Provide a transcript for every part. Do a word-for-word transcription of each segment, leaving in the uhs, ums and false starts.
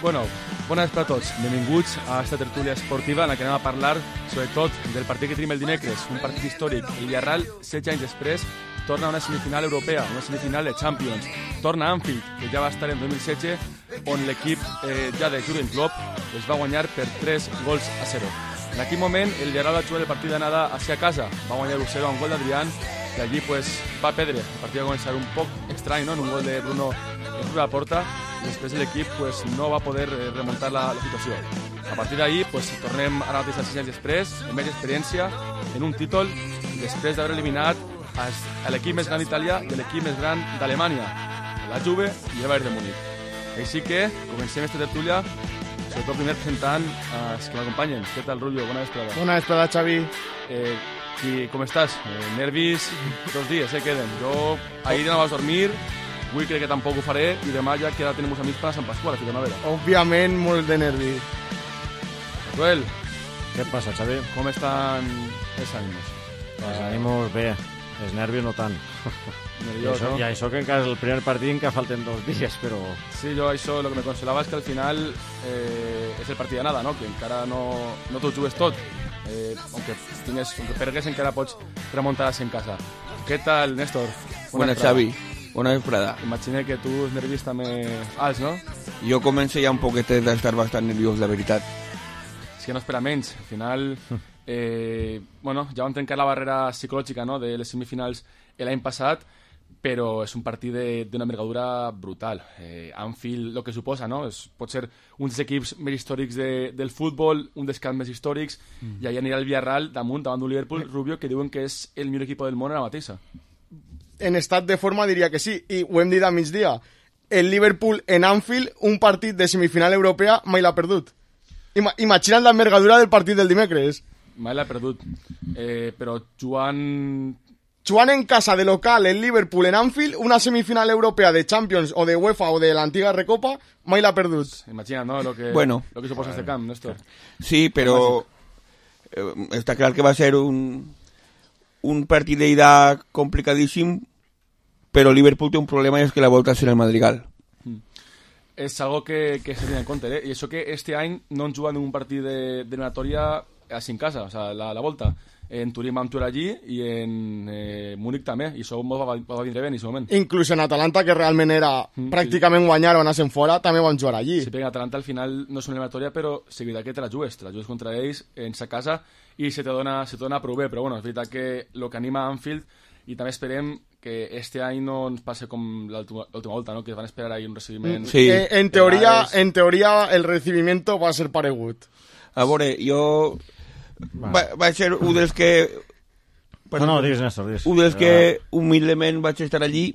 Bueno, bona nit per a tots. Benvinguts a esta tertúlia esportiva en la que anem a parlar, sobretot, del partit que tenim el dimecres, un partit històric. El Villarreal, setze anys després, torna a una semifinal europea, una semifinal de Champions. Torna a Anfield, que ja va estar en dos mil setze, on l'equip eh, ja de Jürgen Klopp es va guanyar per tres gols a zero. En aquell moment, el Villarreal va jugar el partit d'anada hacia casa, va guanyar u zero amb gol d'Adrián, i allí pues, va perdre. El partit va començar un poc estrany, no? En un gol de Bruno en la porta, i després l'equip pues, no va poder remuntar la, la situació. A partir d'ahir pues, tornem ara mateix a sis anys després, amb més experiència, en un títol, després d'haver eliminat a l'equip més gran d'Itàlia i l'equip més gran d'Alemanya, la Juve i el Bayern de Múnich. Així que comencem esta tertúlia, sobretot primer presentant els que m'acompanyen. Què tal, Rubio? Bona vesprada. Bona vesprada, Xavi. Eh, i com estàs? Eh, nervis dos dies, eh, queden. Jo ahir no vas dormir, avui crec que tampoc ho faré, i demà ja que ara tenim uns amics per a Sant Pasqual, a Fitonavera. Òbviament, molt de nervis. Joel, què passa, Xavi? com estan els ànims? Els ànims bé, els nervis no tant. Nerviós, I això, no? I això que encara és el primer partit en què falten dos dies, però... Sí, jo això, el que me consolava és que al final eh, és el partit de nada, no? Que encara no, no t'ho jugues tot. Eh, aunque, tingues, aunque pergues encara pots remuntar-se en casa. Què tal, Néstor? Bona, Xavi. Bona vesprada. Imagina que tu els nervis també alts, no? Jo començo ja un poquet d'estar bastant nerviós, la veritat. És que no espera menys. Al final, eh, bueno, ja vam trencar la barrera psicològica, no?, de les semifinals l'any passat, però és un partit d'una envergadura brutal. Eh, Anfield, el que suposa, no? És, pot ser un dels equips més històrics de, del futbol, un dels camps més històrics, mm. i allà anirà el Villarreal damunt, davant d'un Liverpool, Rubio, que diuen que és el millor equip del món ara mateixa. En estat de forma diria que sí, i ho hem dit a migdia. El Liverpool en Anfield, un partit de semifinal europea, mai l'ha perdut. Ima Imagina't l'envergadura del partit del dimecres. Mai l'ha perdut. Eh, però jugant... Jugant en casa de local el Liverpool en Anfield, una semifinal europea de Champions o de UEFA o de l'antiga Recopa, mai l'ha perdut. Imagina't, no?, lo que, bueno, lo que suposa este camp, Néstor. Sí, però eh, està clar que va ser un, un partit d'ida complicadíssim, però Liverpool té un problema i és que la volta serà el Madrigal. Mm. És algo que, que se tiene en compte, eh? I això que este any no han jugat en un partit d'eliminatòria així en casa, o sea, la, la volta. En Turín vam jugar allí i en eh, Múnich també, i això va, va, va vindre bé en aquest moment. Inclús en Atalanta, que realment era mm, pràcticament sí. guanyar o anar-se'n fora, també van jugar allí. Sí, perquè Atalanta al final no és una eliminatòria, però és veritat que te la jugues, te la jugues contra ells en sa casa i se te dona, se te dona prou bé, però bueno, és veritat que el que anima a Anfield, i també esperem que este any no ens passi com l'última volta, no?, que van esperar ahí un recibiment... Sí. Eh, en, teoria, en teoria el recibimiento va ser paregut. A veure, jo... Va, va ser un dels que... No, no, digues, Néstor, digues. Un dels que humilment vaig estar allí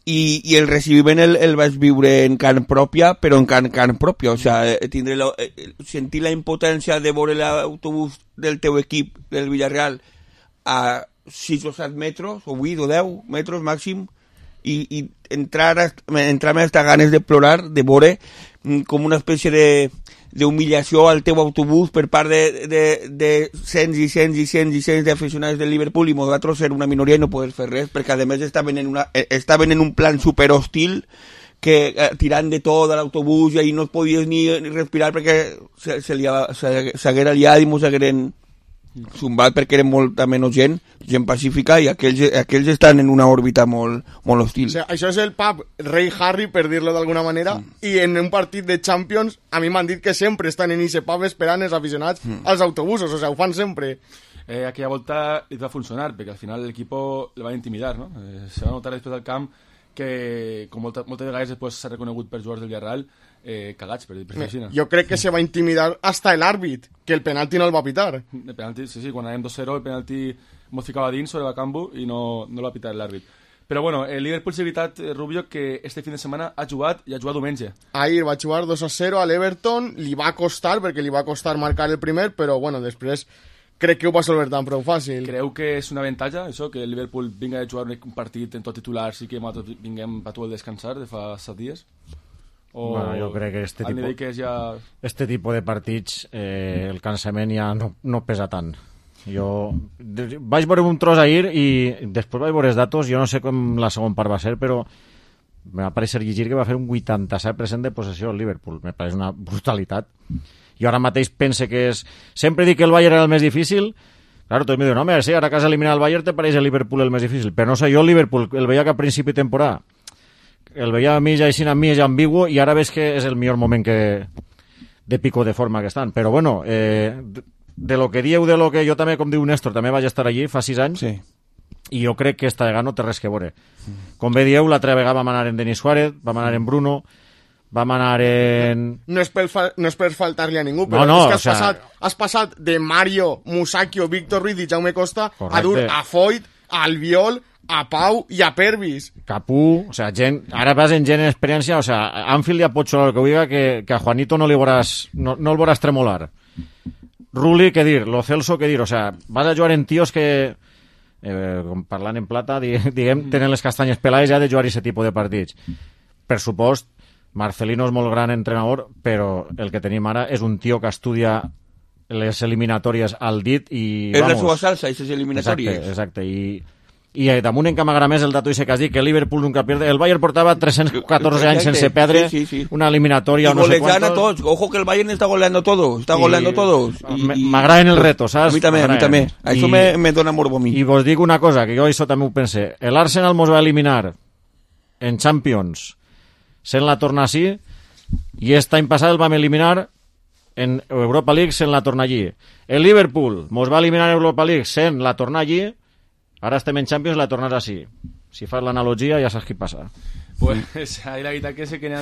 i, i el recibiment el, el vaig viure en carn pròpia, però en carn, carn pròpia. O sea, tindré la, sentir la impotència de veure l'autobús del teu equip, del Villarreal, a sis o set metres, o vuit o deu metres màxim, i, i entrar entrar-me hasta ganes de plorar, de veure com una espècie de d'humillació al teu autobús per part de, de, de cents i cents i cents i cents d'aficionats del Liverpool, i nosaltres ser una minoria i no poder fer res, perquè a més estaven en, una, estaven en un plan super hostil, que eh, tirant de tot a l'autobús, i ahí no podies ni, ni respirar perquè s'haguera liat i mos hagueren zumbat, perquè eren molta menys gent, gent pacífica, i aquells, aquells estan en una òrbita molt, molt hostil. O sea, això és el pub Rei Harry, per dir-lo d'alguna manera, mm. i en un partit de Champions, a mi m'han dit que sempre estan en ese pub esperant els aficionats mm. als autobusos, o sea, ho fan sempre. Eh, aquella volta li va funcionar, perquè al final l'equip el va intimidar, no? Eh, se va notar després del camp que, com molta, moltes vegades després s'ha reconegut per jugadors del Villarreal, eh, cagats, per dir-ho així. Jo crec que se va intimidar hasta el àrbit, que el penalti no el va pitar. El penalti, sí, sí, quan anàvem dos zero, el penalti mos ficava dins sobre Bakambu i no, no el va pitar l'àrbit. Però bueno, el Liverpool és veritat, Rubio, que este fin de setmana ha jugat i ha jugat diumenge. Ahir va jugar dos a zero a l'Everton, li va costar, perquè li va costar marcar el primer, però bueno, després crec que ho va solver tan prou fàcil. Creu que és una avantatge, això, que el Liverpool vinga a jugar un partit en tot titular, sí que nosaltres vinguem a tu el descansar de fa set dies? O bueno, jo crec que este, tipo, que és ja... este tipus de partits eh, el cansament ja no, no pesa tant. Jo vaig veure un tros ahir i després vaig veure els datos, jo no sé com la segona part va ser, però me va parecer llegir que va fer un vuitanta-set per cent de possessió al Liverpool, me pareix una brutalitat. Jo ara mateix pense que és... Sempre dic que el Bayern era el més difícil, claro, tots me diuen, home, sí, ara que has eliminat el Bayern te pareix el Liverpool el més difícil, però no sé, jo el Liverpool el veia que a principi de temporada el veia a mi ja així a mi ja ambigu i ara ves que és el millor moment que de pico de forma que estan, però bueno eh, de lo que dieu, de lo que jo també, com diu Néstor, també vaig estar allí fa sis anys, sí. I jo crec que esta vegada no té res que veure. Com bé dieu, l'altra vegada vam anar en Denis Suárez, vam anar en Bruno, vam anar en... No és per, fa... no és per faltar-li a ningú, però no, no, és que has, o sea... passat, has passat de Mario, Musakio, Víctor Ruiz i Jaume Costa Correcte. A dur a Foyt, a Albiol, a Pau i a Pervis. Capú, o sea, gent, ara vas en gent en experiència, o sea, Anfield ja pot xular el que diga que, que a Juanito no, li voràs, no, no el voràs tremolar. Rulli, què dir, Lo Celso, què dir, o sea, vas a jugar en tios que... Eh, parlant en plata, diguem, tenen les castanyes pelades ja de jugar aquest tipus de partits. Per supost, Marcelino és molt gran entrenador, però el que tenim ara és un tio que estudia les eliminatòries al dit i... És la seva salsa, aquestes eliminatòries. Exacte, exacte, i... I damunt en que m'agrada més el dato ese que has dit, que el Liverpool nunca pierde. El Bayern portava tres-cents catorze anys sense perdre sí, sí, sí. una eliminatòria o no sé golejant cuántos. a tots. Ojo que el Bayern está goleando todo. Está goleando todos. M'agraden el reto, saps? A mi també, a mi també. Això me, me dona morbo a mi. I vos dic una cosa, que jo això també ho pensé. El Arsenal mos va eliminar en Champions sent la torna així i aquest any passat el vam eliminar en Europa League sent la torna allí. El Liverpool mos va eliminar en Europa League sent la torna allí. Ara estem en Champions, la tornarà així. Si fas l'analogia, ja saps què passa. Pues ahí la veritat que sé que n'hi ha...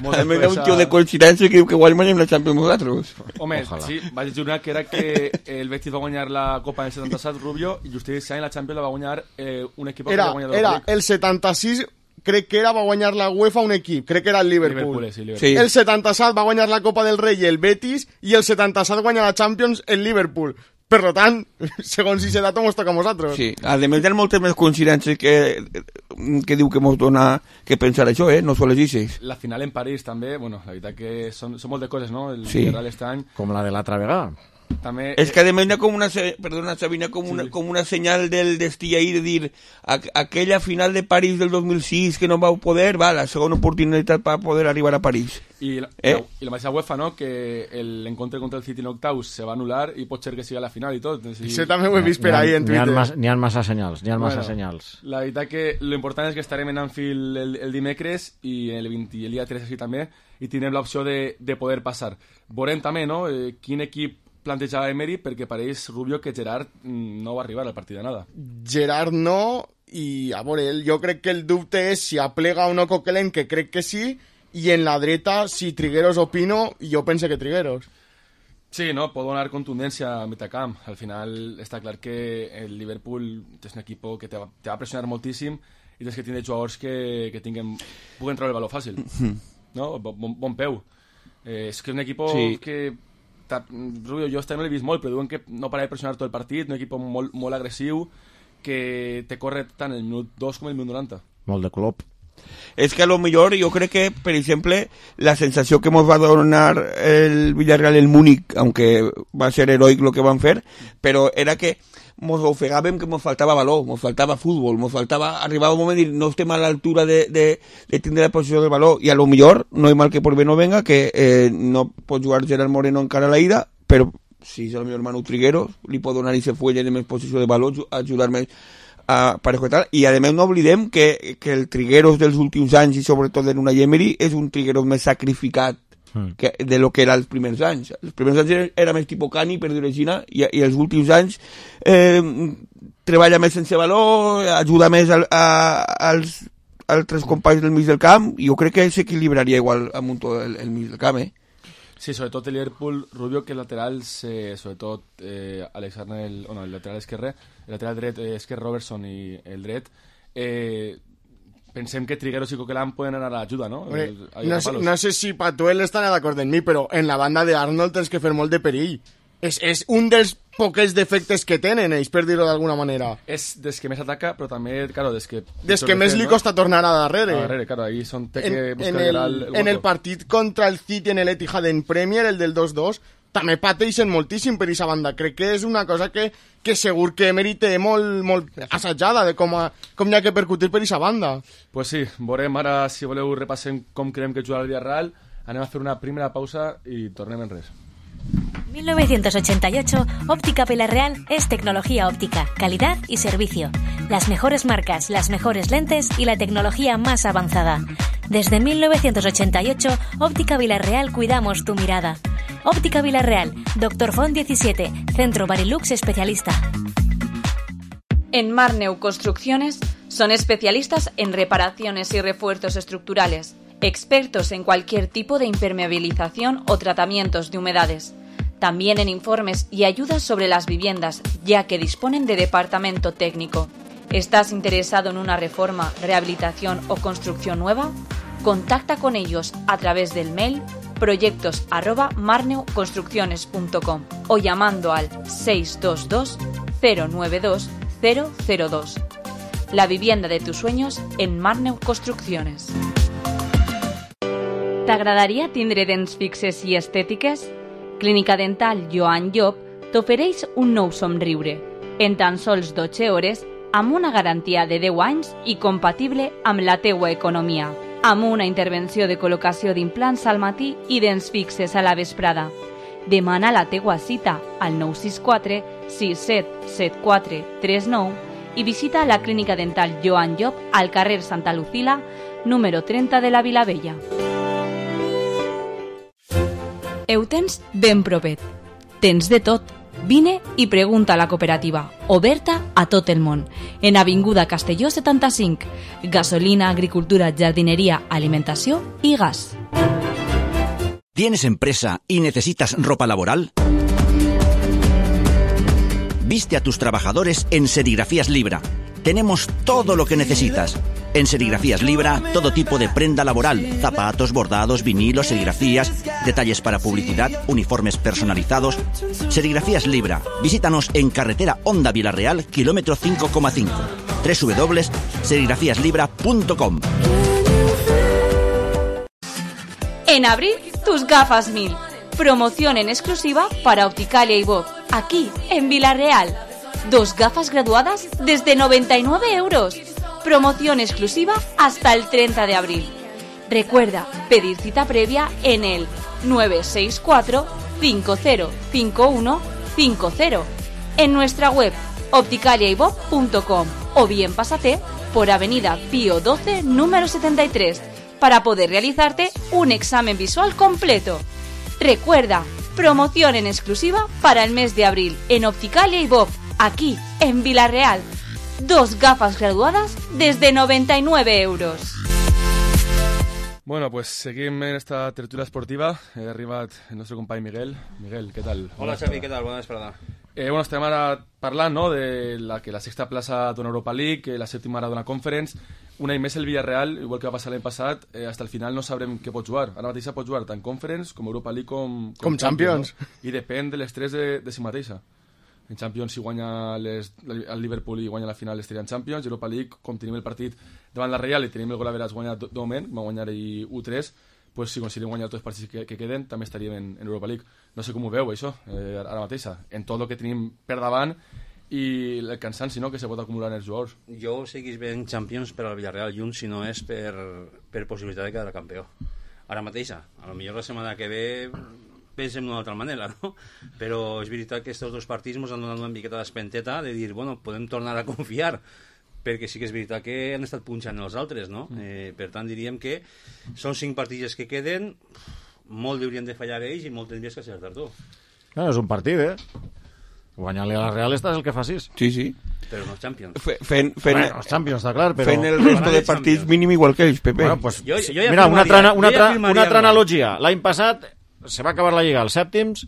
També hi ha un tio de coincidència que diu que guanyem la Champions nosaltres. Home, Ojalá. Sí, vaig jurar que era que el Betis va guanyar la Copa en el setanta-set, Rubio, i just aquest any la Champions la va guanyar eh, un equip era, que va guanyar era el setanta-sis, crec que era va guanyar la UEFA un equip, crec que era el Liverpool. Liverpool, sí, Liverpool. Sí. El setanta-set va guanyar la Copa del Rei el Betis i el setanta-set guanya la Champions el Liverpool. Per tant, segons si se dato mos toca a nosaltres. Sí, a més hi ha moltes més coincidències que, que diu que mos dona que pensar això, eh? No sols dices. La final en París també, bueno, la veritat que són, són molt de coses, no? El sí. Real este any. Com la de l'altra vegada. També, és que a més hi ha com una, perdona Sabina, com una, sí. com una senyal del destí ahí de dir a, aquella final de París del dos mil sis que no vau poder, va, la segona oportunitat per poder arribar a París. I la, eh? i la mateixa UEFA, no? Que l'encontre contra el City en octaus se va anul·lar i pot ser que sigui a la final i tot. Sí, sí també ho he vist per ahí en Twitter. N'hi ha, n'hi ha massa senyals, n'hi ha bueno, massa senyals. La veritat que l'important és que estarem en Anfield el, el dimecres i el, vint, el dia tres així també i tindrem l'opció de, de poder passar. Veurem també, no? Eh, quin equip plantejava Emery, perquè pareix, Rubio, que Gerard no va arribar al partit de nada. Gerard no, i a veure, jo crec que el dubte és si aplega o no Coquelin, que crec que sí, i en la dreta, si Trigueros o Pino, jo pense que Trigueros. Sí, no, pot donar contundència al mitjacamp. Al final està clar que el Liverpool és un equip que te va, te va pressionar moltíssim i tens que tindre jugadors que, que tinguen, puguen treure el valor fàcil. No? Bon, bon peu. Eh, és que és un equip sí. que... Rubio, jo este no l'he vist molt, però diuen que no para de pressionar tot el partit, un equip molt, molt agressiu que te corre tant el minut dos com el minut noranta. Molt de Klopp. És que a lo millor jo crec que, per exemple, la sensació que ens va donar el Villarreal el Múnich, aunque va ser heroic lo que van fer, però era que ens ofegàvem que ens faltava valor, ens faltava futbol, ens faltava... Arribava un moment i no estem a l'altura de, de, de tindre la posició del valor, i a lo millor, no hi mal que por bé no venga, que eh, no pot jugar Gerard Moreno encara a la ida, però si és el meu hermano Trigueros, li pot donar aquest fuelle de més posició de valor, ajudar-me a parejo i tal, i a més no oblidem que, que el Trigueros dels últims anys, i sobretot en una Emery, és un Trigueros més sacrificat que, de lo que era els primers anys. Els primers anys era, era més tipus Cani, per dir-ho així, i, i els últims anys eh, treballa més sense valor, ajuda més a, a, als altres companys del mig del camp, i jo crec que s'equilibraria igual amb un tot el, el mig del camp, eh? Sí, sobretot el Liverpool, Rubio, que laterals, eh, sobretot eh, Alexander, el, oh no, el lateral esquerre, el lateral dret eh, és que Robertson i el dret, eh, pensem que Trigueros i Coquelin poden anar a l'ajuda, no? Hombre, no, sé, no sé si Patuel estarà d'acord amb mi, però en la banda de Arnold tens que fer molt de perill. És, és un dels poques defectes que tenen ells, per dir-ho d'alguna manera. És des que més ataca, però també, claro, des que... Des que més li costa tornar a darrere. A darrere, claro, ahí son té en, que buscar en el, el, el en el partit contra el City en el Etihad en Premier, el del dos dos, també pateixen moltíssim per aquesta banda. Crec que és una cosa que, que segur que Emery té molt, molt assajada de com, a, com hi ha que percutir per aquesta banda. Pues sí, veurem ara, si voleu, repassem com creiem que jugarà el Villarreal. Anem a fer una primera pausa i tornem en res. mil novecientos ochenta y ocho, Óptica Villarreal es tecnología óptica, calidad y servicio. Las mejores marcas, las mejores lentes y la tecnología más avanzada. Desde mil novecientos ochenta y ocho, Óptica Villarreal cuidamos tu mirada. Óptica Villarreal, Doctor Font diecisiete, Centro Barilux especialista. En Marneu Construcciones son especialistas en reparaciones y refuerzos estructurales, expertos en cualquier tipo de impermeabilización o tratamientos de humedades. También en informes y ayudas sobre las viviendas, ya que disponen de departamento técnico. ¿Estás interesado en una reforma, rehabilitación o construcción nueva? Contacta con ellos a través del mail proyectos arroba marneuconstrucciones punto com o llamando al seis dos dos cero nueve dos cero cero dos. La vivienda de tus sueños en Marneu Construcciones. T'agradaria tindre dents fixes i estètiques? Clínica Dental Joan Llop t'ofereix un nou somriure, en tan sols dotze hores, amb una garantia de deu anys i compatible amb la teua economia, amb una intervenció de col·locació d'implants al matí i dents fixes a la vesprada. Demana la teua cita al nou sis quatre sis set set quatre tres nou i visita la Clínica Dental Joan Llop al carrer Santa Lucila, número trenta de la Vilavella. Ho tens ben propet. Tens de tot. Vine i pregunta a la cooperativa, oberta a tot el món. En Avinguda Castelló setanta-cinc. Gasolina, agricultura, jardinería, alimentació i gas. ¿Tienes empresa y necesitas ropa laboral? Viste a tus trabajadores en Serigrafías Libra. Tenemos todo lo que necesitas. En Serigrafías Libra, todo tipo de prenda laboral, zapatos, bordados, vinilos, serigrafías, detalles para publicidad, uniformes personalizados. Serigrafías Libra. Visítanos en carretera Honda Villarreal, kilómetro cinco coma cinco. doble u doble u doble u punto serigrafías libra punto com. En abril, tus gafas mil. Promoción en exclusiva para Opticalia y Bob, aquí en Villarreal. Dos gafas graduadas desde noventa y nueve euros. Promoción exclusiva hasta el treinta de abril. Recuerda pedir cita previa en el nueve seis cuatro cinco cero cinco uno cinco cero, en nuestra web opticalia y bob punto com o bien pásate por Avenida Pío doce, número setenta y tres, para poder realizarte un examen visual completo. Recuerda, promoción en exclusiva para el mes de abril en Opticalia y Bob, aquí en Villarreal. Dos gafas graduadas desde noventa y nueve euros. Bueno, pues seguim en esta tertúlia esportiva. He arribat el nostre company Miguel. Miguel, què tal? Hola Xavi, què tal? Bona vesprada. Eh, bueno, estem ara parlant, no?, de la, que la sexta plaça d'una Europa League, la sèptima ara d'una Conference. Un any més el Villarreal, igual que va passar l'any passat, eh, hasta el final no sabrem què pot jugar. Ara mateixa pot jugar tant Conference com Europa League com, com, com Champions. Champions, no? I depèn de l'estrès de, de si mateixa. En Champions, si guanya les, el Liverpool i guanya la final, estaria en Champions. Europa League, com tenim el partit davant la Real i tenim el gol a veres guanyat de moment, va guanyar ahir u tres, pues si aconseguim guanyar tots els partits que, que queden, també estaríem en, en Europa League. No sé com ho veu, això, eh, ara mateixa, en tot el que tenim per davant i el cansanci, no?, que se pot acumular en els jugadors. Jo seguís ben Champions per al Villarreal i un, si no és per, per possibilitat de quedar campió. Ara mateixa, a lo millor la setmana que ve pensem d'una altra manera, no? Però és veritat que aquests dos partits ens han donat una miqueta d'espenteta de dir, bueno, podem tornar a confiar, perquè sí que és veritat que han estat punxant els altres, no? Eh, per tant, diríem que són cinc partits que queden, molt haurien de fallar ells i molt tindries que acertar tu. No, és un partit, eh? Guanyar-li a la Real estàs el que facis. Sí, sí. Però no els Champions. Fe, fent, fent, bueno, els Champions, està clar, però... Fent el resto de partits mínim igual que ells, Pepe. Bueno, pues, jo, jo ja mira, una altra, una altra, ja una altra analogia. L'any passat se va acabar la Lliga als sèptims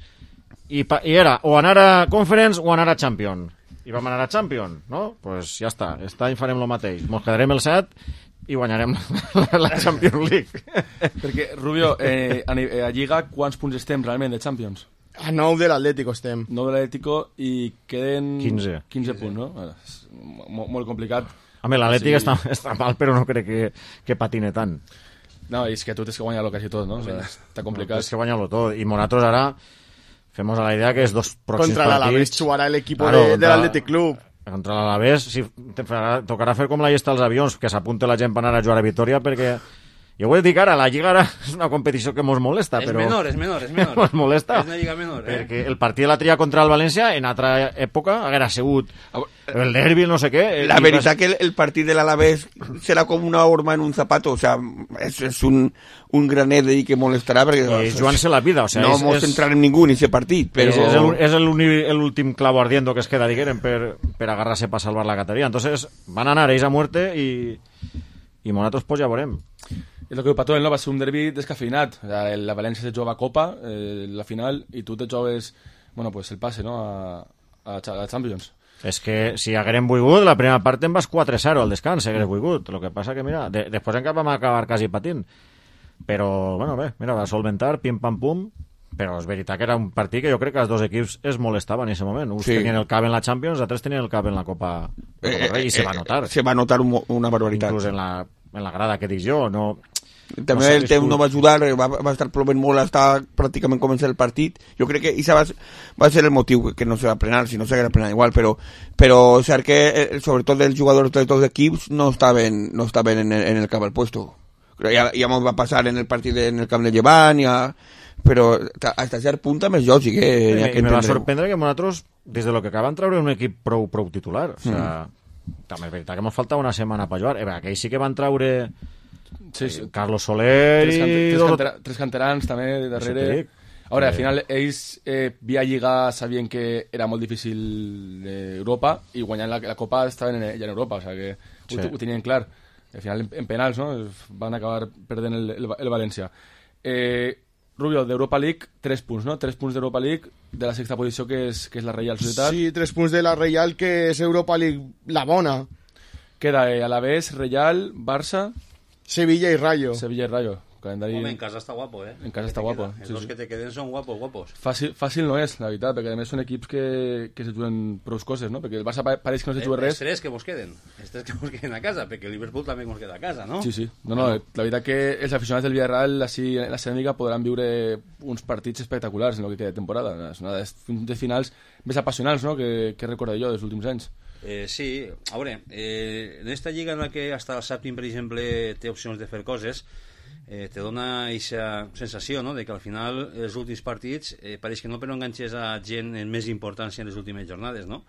i, pa, i era o anar a Conference o anar a Champions. I vam anar a Champions, no? Pues ja està. Aquest any farem el mateix. Ens quedarem el set i guanyarem la, la Champions League. Perquè, Rubio, eh, a, a Lliga, quants punts estem realment de Champions? A nou de l'Atlético estem. nou de l'Atlético i queden... quinze. quinze punts, no? Bueno, és molt, molt complicat. Home, l'Atlètic sí. està, està mal, però no crec que, que patine tant. No, és que tu tens que guanyar-lo quasi tot, no? O sea, està complicat. No, tens que guanyar-lo tot. I nosaltres ara, femos a la idea que es dos próximos Contra l'Alavés jugarà l'equip claro, de, de l'Athletic Club. Contra l'Alavés sí, tocarà fer com la llesta dels avions, que s'apunte la gent per anar a jugar a Vitoria, perquè jo ho he dit ara, la Lliga ara és una competició que mos molesta, és però... És menor, és menor, és menor. Mos molesta. És una Lliga menor, eh? Perquè el partit de la tria contra el València, en altra època, haguera sigut el derbi, no sé què... La veritat que el, el partit de l'Alavés serà com una horma en un zapato, o sea, és, és un, un granet d'ahí que molestarà, perquè... És jugant-se la vida, o sea... No és, mos és, entrar en ningú en aquest partit, però... És l'últim clavo ardiendo que es queda, diguem, per, per agarrar-se per salvar la categoria. Entonces, van anar ells a muerte i, i nosaltres pues ja veurem. És el que diu Pato, no? Va ser un derbi descafeinat. La València se jugava a Copa, eh, la final, i tu te jugues, bueno, pues el passe, no?, a, a, a Champions. És que si haguérem volgut, la primera part en vas quatre a zero al descans, si hagués volgut. El que passa que, mira, de, després encara vam acabar quasi patint. Però, bueno, bé, mira, va solventar, pim-pam-pum, però és veritat que era un partit que jo crec que els dos equips es molestaven en aquest moment. Uns sí. tenien el cap en la Champions, altres tenien el cap en la Copa, la Copa Rei, i se va notar. Se va notar un, una barbaritat. Inclús en la, en la grada que dic jo, no... També no el temps no va ajudar, va, va estar plovent molt, està pràcticament començant el partit. Jo crec que això va, va ser el motiu que no se va prenar, si no s'haguera prenat igual, però, però és cert que sobretot els jugadors de tots els equips no estaven, no estaven en, el, en el cap al puesto. Ja, ja m'ho va passar en el partit en el camp de Llevant, ja, però fins a cert punt també és lògic. Eh, me, que me va sorprendre que nosaltres, des de lo que acaben treure un equip prou, prou titular. O sea, mm. també és veritat que ens faltava una setmana per jugar. Eh, aquells sí que van treure... Sí, sí. Carlos Soler tres, cante i... tres, cantera tres canterans també darrere. Ara, al final, ells eh, via Lliga sabien que era molt difícil Europa i guanyant la, la Copa estaven en, ja en Europa, o sea que sí. ho, ho tenien clar. Al final, en, en penals, no?, van acabar perdent el, el, el València. Eh, Rubio, d'Europa League, tres punts, no? Tres punts d'Europa League, de la sexta posició, que és, que és la Reial Societat. Sí, tres punts de la Reial, que és Europa League, la bona. Queda eh, Alavés, Reial, Barça... Sevilla y Rayo. Sevilla y Rayo. Calendari... Home, en casa està guapo, eh? En casa està guapo. Els sí, dos sí. que te queden són guapos, guapos. Fàcil, fàcil no és, la veritat, perquè a més són equips que, que se juguen prou coses, no? Perquè el Barça pareix que no se juga res. Els tres que mos queden. Els tres que mos queden a casa, perquè el Liverpool també mos queda a casa, no? Sí, sí. No, no, la veritat que els aficionats del Villarreal, així, en la ceràmica, podran viure uns partits espectaculars en el que queda de temporada. És una de finals més apassionants, no?, que, que recordo jo dels últims anys. Eh, sí, a veure, eh, en esta lliga en la que hasta el sèptim, per exemple, té opcions de fer coses, eh, te dona aquesta sensació, no?, de que al final els últims partits eh, pareix que no, però enganxes a gent en més importància en les últimes jornades, no?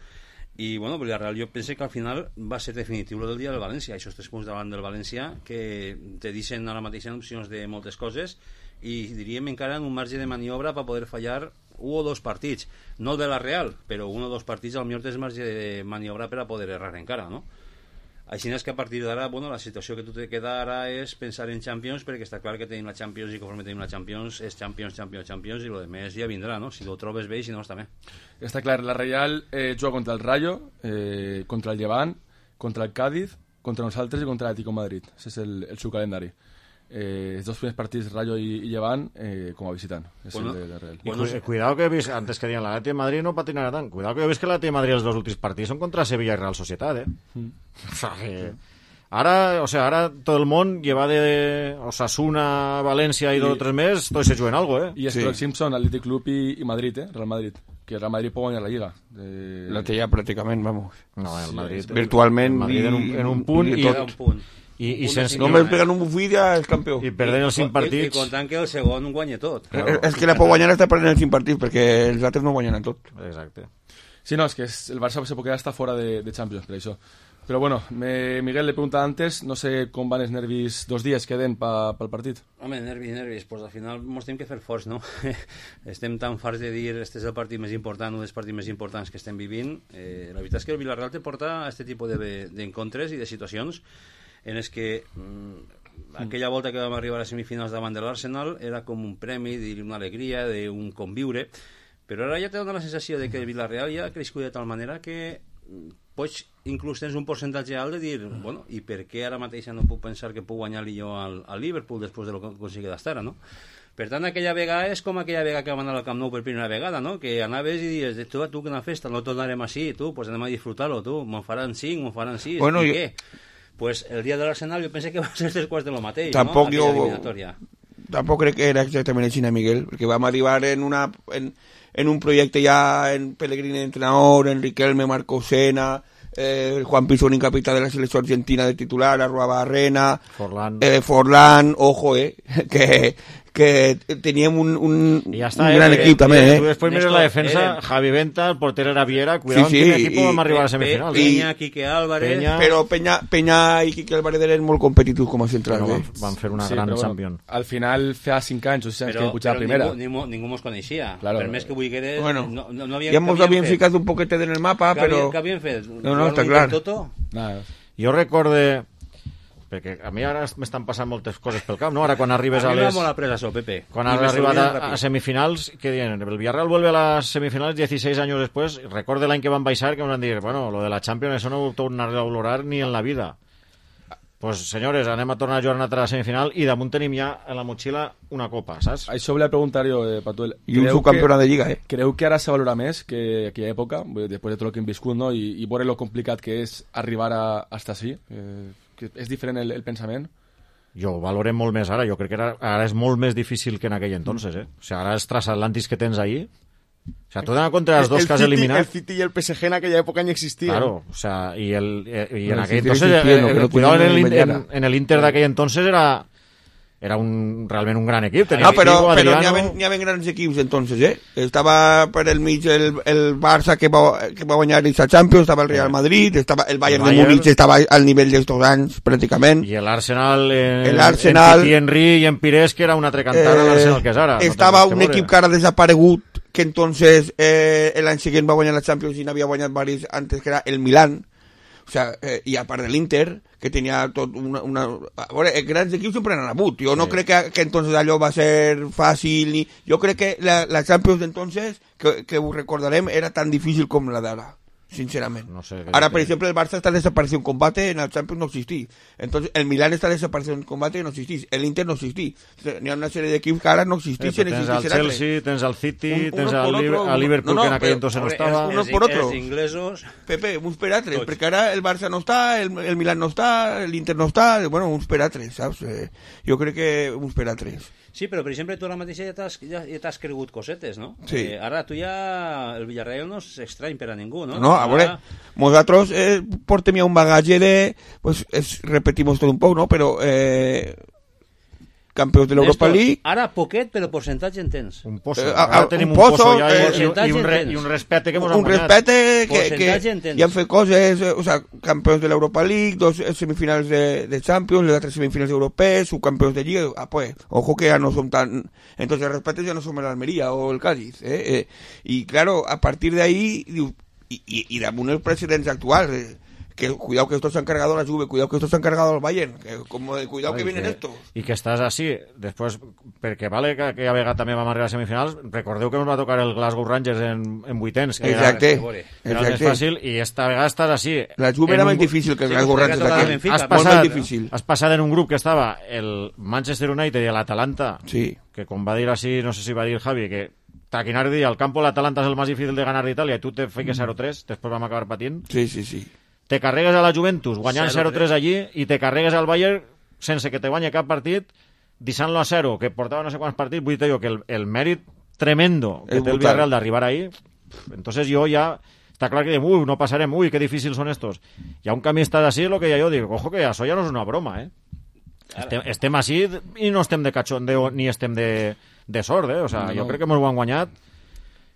I, bueno, Villarreal, jo penso que al final va ser definitiu el del dia del València, aquests tres punts davant del València, que te deixen ara mateix en opcions de moltes coses i diríem encara en un marge de maniobra per poder fallar un o dos partits, no de la Real, però un o dos partits al millor tens marge de maniobra per a poder errar encara, no? Així és que a partir d'ara, bueno, la situació que tu te queda ara és pensar en Champions, perquè està clar que tenim la Champions i conforme tenim la Champions és Champions, Champions, Champions i lo de més ja vindrà, no? Si ho trobes bé i si no està bé. Està clar, la Real eh, juga contra el Rayo, eh, contra el Llevant, contra el Cádiz, contra nosaltres i contra l'Atlético Madrid. Ese és el, el seu calendari. Eh, els dos primers partits, Rayo i, i Llevant, eh, com a visitant. És bueno, el de la Real. Bueno, cu cuidado que vis, antes que digan la Atlético de Madrid no patinarà tant. Cuidado que ves que la Atlético de Madrid els dos últims partits són contra Sevilla i Real Societat, eh? Mm. O sea, que... Ara, o sea, ara tot el món lleva de Osasuna, València i, I dos o tres més, tots se juguen algo, eh? I els sí. pròxims són Athletic Club i, i Madrid, eh? Real Madrid. Que el Real Madrid pot guanyar la Lliga. De... La té ja pràcticament, vamos. No, el Madrid... Sí, virtualment... El Madrid en un, en un punt i... i tot. Un punt. I, i sense... Només pegant un bufit ja és campió. I perdent els cinc partits... I, i comptant que el segon guanya tot. Claro. És que la pot guanyar està perdent els cinc partits, perquè els altres no guanyen tot. Exacte. Sí, no, és que es, el Barça se pot quedar hasta fora de, de Champions, per això. Però bueno, me, Miguel le pregunta antes, no sé com van els nervis dos dies queden pel pa, partit. Home, nervis, nervis, pues al final mos tenim que fer forts, no? Estem tan farts de dir este és el partit més important, un dels partits més importants que estem vivint. Eh, la veritat és que el Villarreal te porta a aquest tipus d'encontres de, i de situacions en els que mmm, aquella volta que vam arribar a semifinals davant de l'Arsenal era com un premi, una alegria, d'un conviure, però ara ja te dona la sensació de que el Villarreal ja ha crescut de tal manera que pots, inclús tens un percentatge alt de dir, bueno, i per què ara mateix no puc pensar que puc guanyar-li jo al, al Liverpool després de lo que consigui d'estar, no? Per tant, aquella vegada és com aquella vegada que vam anar al Camp Nou per primera vegada, no? Que anaves i dius, tu, tu, que una festa, no tornarem així, tu, pues anem a disfrutar-lo, tu, me'n faran cinc, me'n faran sis, bueno, i jo... què? Pues el dia de l'Arsenal jo pensé que va ser tres quarts de lo mateix, tampoc no? Jo... tampoc crec que era exactament així, Miguel, perquè vam arribar en, una, en, en un projecte ja en Pellegrini entrenador, en Riquelme, Marco Sena, eh, Juan Pisoni, capità de la selecció argentina de titular, Arrua Barrena, Forlán, eh, Forlán, ojo, eh, que, que teníem un, un, ja està, un gran eh, equip també, eh. Tu després mires la defensa, eren... Javi Venta, el porter era Viera, cuidado sí, sí, en quin equip i, vam arribar a les semifinals. Pe, Peña, Quique Álvarez... Peña, però Peña, Peña i Quique Álvarez eren molt competitius com a centrals, no, eh. van, van fer una Sí, gran però, bueno, champion. al final feia cinc anys o sis anys que vam pujar a primera. Ningú, ningú, ningú mos coneixia. Claro. Per més que volgueres... Bueno, no, no, no havia, ja ens havien ficat un poquet en el mapa, que però... Havien, que havien fet? No, no, està clar. Toto? Nada. Jo recorde... perquè a mi ara m'estan passant moltes coses pel cap, no? Ara quan arribes a, a mi les... m'ha molt après això, Pepe. Quan I has me arribat sorprèn a, ràpid. a semifinals, què diuen? El Villarreal vuelve a las semifinales dieciséis años después. Recorde l'any que van baixar, que ens van dir, bueno, lo de la Champions, eso no ho tornaré a valorar ni en la vida. Pues, senyores, anem a tornar a jugar una altra semifinal i damunt tenim ja en la motxilla una copa, saps? Això volia preguntar jo, eh, Patuel. I un Creu subcampiona que- de Lliga, eh. Creu que ara se valora més que aquella època, després de tot el que hem viscut, no? I, i veure lo complicat que és arribar a, hasta així? Eh, que és diferent el, el pensament? Jo ho valorem molt més ara, jo crec que ara, ara és molt més difícil que en aquell entonces, eh? O sigui, ara els transatlàntics que tens ahí... O sea, tu t'has compte els dos el que has City, eliminat... El City y el P S G en aquella època ni existían. Claro, o sea, y, el, eh, y en No, aquel sí, entonces, sí, sí, eh, no, eh, que no cuidado en tenía el, ni en, mediana. en el Inter d'aquell entonces era era un, realment un gran equip. Tenia No, però, Figo, però n'hi Adriano... havia, n'hi havia grans equips entonces, eh? Estava per el mig el, el Barça que va, que va guanyar la Champions, estava el Real Madrid, estava el Bayern, El Bayern. de Múnich estava al nivell d'estos anys, pràcticament. I l'Arsenal, eh, El Arsenal- en Titi Henry i en Pires, que era una altra cantada, Eh, l'Arsenal que és ara. estava no un equip que ara ha desaparegut, que entonces eh, l'any següent va guanyar la Champions i n'havia guanyat varis antes, que era el Milan. O sea, eh, i a part de l'Inter, que tenia tot una... una... A veure, els grans equips sempre han hagut. Jo no Sí. crec que, que entonces allò va ser fàcil. Ni... Jo crec que la, la Champions d'entonces, que, que ho recordarem, era tan difícil com la d'ara. Sincerament. No sé, Ahora, que- por ejemplo, el Barça está desaparecido en combate, en el Champions no existí. Entonces, el Milán está desaparecido en combate y no existís. El Inter no existí. N'hi ha una serie de equipos que ara no Eh, existixen. tens el existixen altres. Chelsea, tens el City, Un- tens uno el, por Liber- otro, el Liverpool, no, no, que en aquell però- entonces no Hombre, estava. uno els, por otro. Els inglesos... Pepe, uns per altres, Tots. perquè ara el Barça no està, el, el Milán no està, l'Inter no està, bueno, uns per altres, saps? Eh, jo crec que uns per altres. Sí, però per exemple tu ara mateix ja t'has ja, ja t'has cregut cosetes, no? Sí. Eh, ara tu ja... El Villarreal no és estrany per a ningú, no? No, a veure, Ara- nosaltres eh, portem ja un bagatge de, pues, es, repetimos tot un poc, no? Però eh, campions de l'Europa Néstor, League, Ara poquet, però percentatge en tens. Un pozo. Eh, Ara a- tenim un un pozo, pozo, ja, eh, i, i, percentatge un re, en i un tens. respecte que hemos un guanyat. respecte que, Percentatge que en tens. ja han fet coses, eh, o sea, campions de l'Europa League, dos eh, semifinals de, de Champions, les altres semifinals europees, subcampions de Lliga, ah, pues, ojo que ya no son tan, entonces el respecte ya no son el Almería o el Cádiz, eh, eh, y claro, a partir de ahí, diu, y, y, y damunt els presidents actuals, eh, que cuidado que esto se han cargado la Juve, cuidado que esto se han cargado al Bayern, que, como de cuidado que I vienen estos. I que estàs així, després, perquè vale que aquella vegada també vam arribar a semifinals, recordeu que ens va tocar el Glasgow Rangers en, en vuitens, que Exacte, era, era el més exacte. fàcil, i esta vegada estàs així. La Juve en era un més gru- difícil que el Sí, Glasgow perquè Rangers tocava aquell. Benfica, Has molt Molt passat, més difícil. has passat en un grup que estava el Manchester United i l'Atalanta, Sí. que com va dir així, no sé si va dir Javi, que Taquinar dia, el campo de l'Atalanta és el més difícil de ganar d'Itàlia i tu te fiques zero tres, després vam acabar patint. Sí, sí, sí. Te carregues a la Juventus guanyant zero zero tres allí i te carregues al Bayern sense que te guanyi cap partit, deixant-lo a zero, que portava no sé quants partits. Vull dir jo que el, el mèrit tremendo que És té el brutal. Villarreal d'arribar ahí, entonces jo ja està clar que diem, ui, no passarem, ui, que difícils són estos. Hi ha un camí estàs així, el que ja jo dic, ojo que això ja no és una broma, eh? Estem, estem així i no estem de cachondeo ni estem de, de sort, eh? O sea, No, jo no. crec que ens ho han guanyat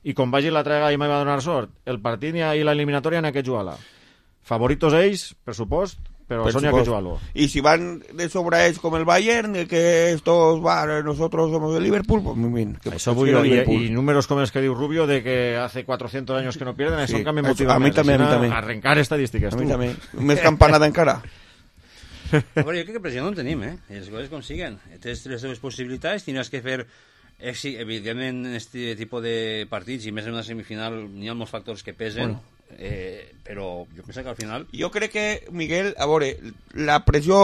i com vagi la trega i m'hi va donar sort, el partit i l'eliminatòria en aquest jugar-la. Favoritos ells, per supost, però Per són ja que supost. jugar-lo. Y si van de sobra es como el Bayern, de que estos, va, nosotros somos de Liverpool, pues muy bien. Que Això pues vull quiero jo, i, Liverpool. i números com els que diu Rubio de que hace cuatrocientos años que no pierden, Sí, això que me això- motiva a mi més. també, a mi Així, també. Arrencar estadístiques, A mí tu. también. Més campanada encara. A veure, jo crec que pressió no en tenim, eh? I les coses com siguen. Tens les teves possibilitats, tindràs que fer... Eh, sí, evidentment, en aquest tipus de partits, i més en una semifinal, n'hi ha molts factors que pesen. Bueno. eh, però jo penso que al final... Jo crec que, Miguel, a veure, la pressió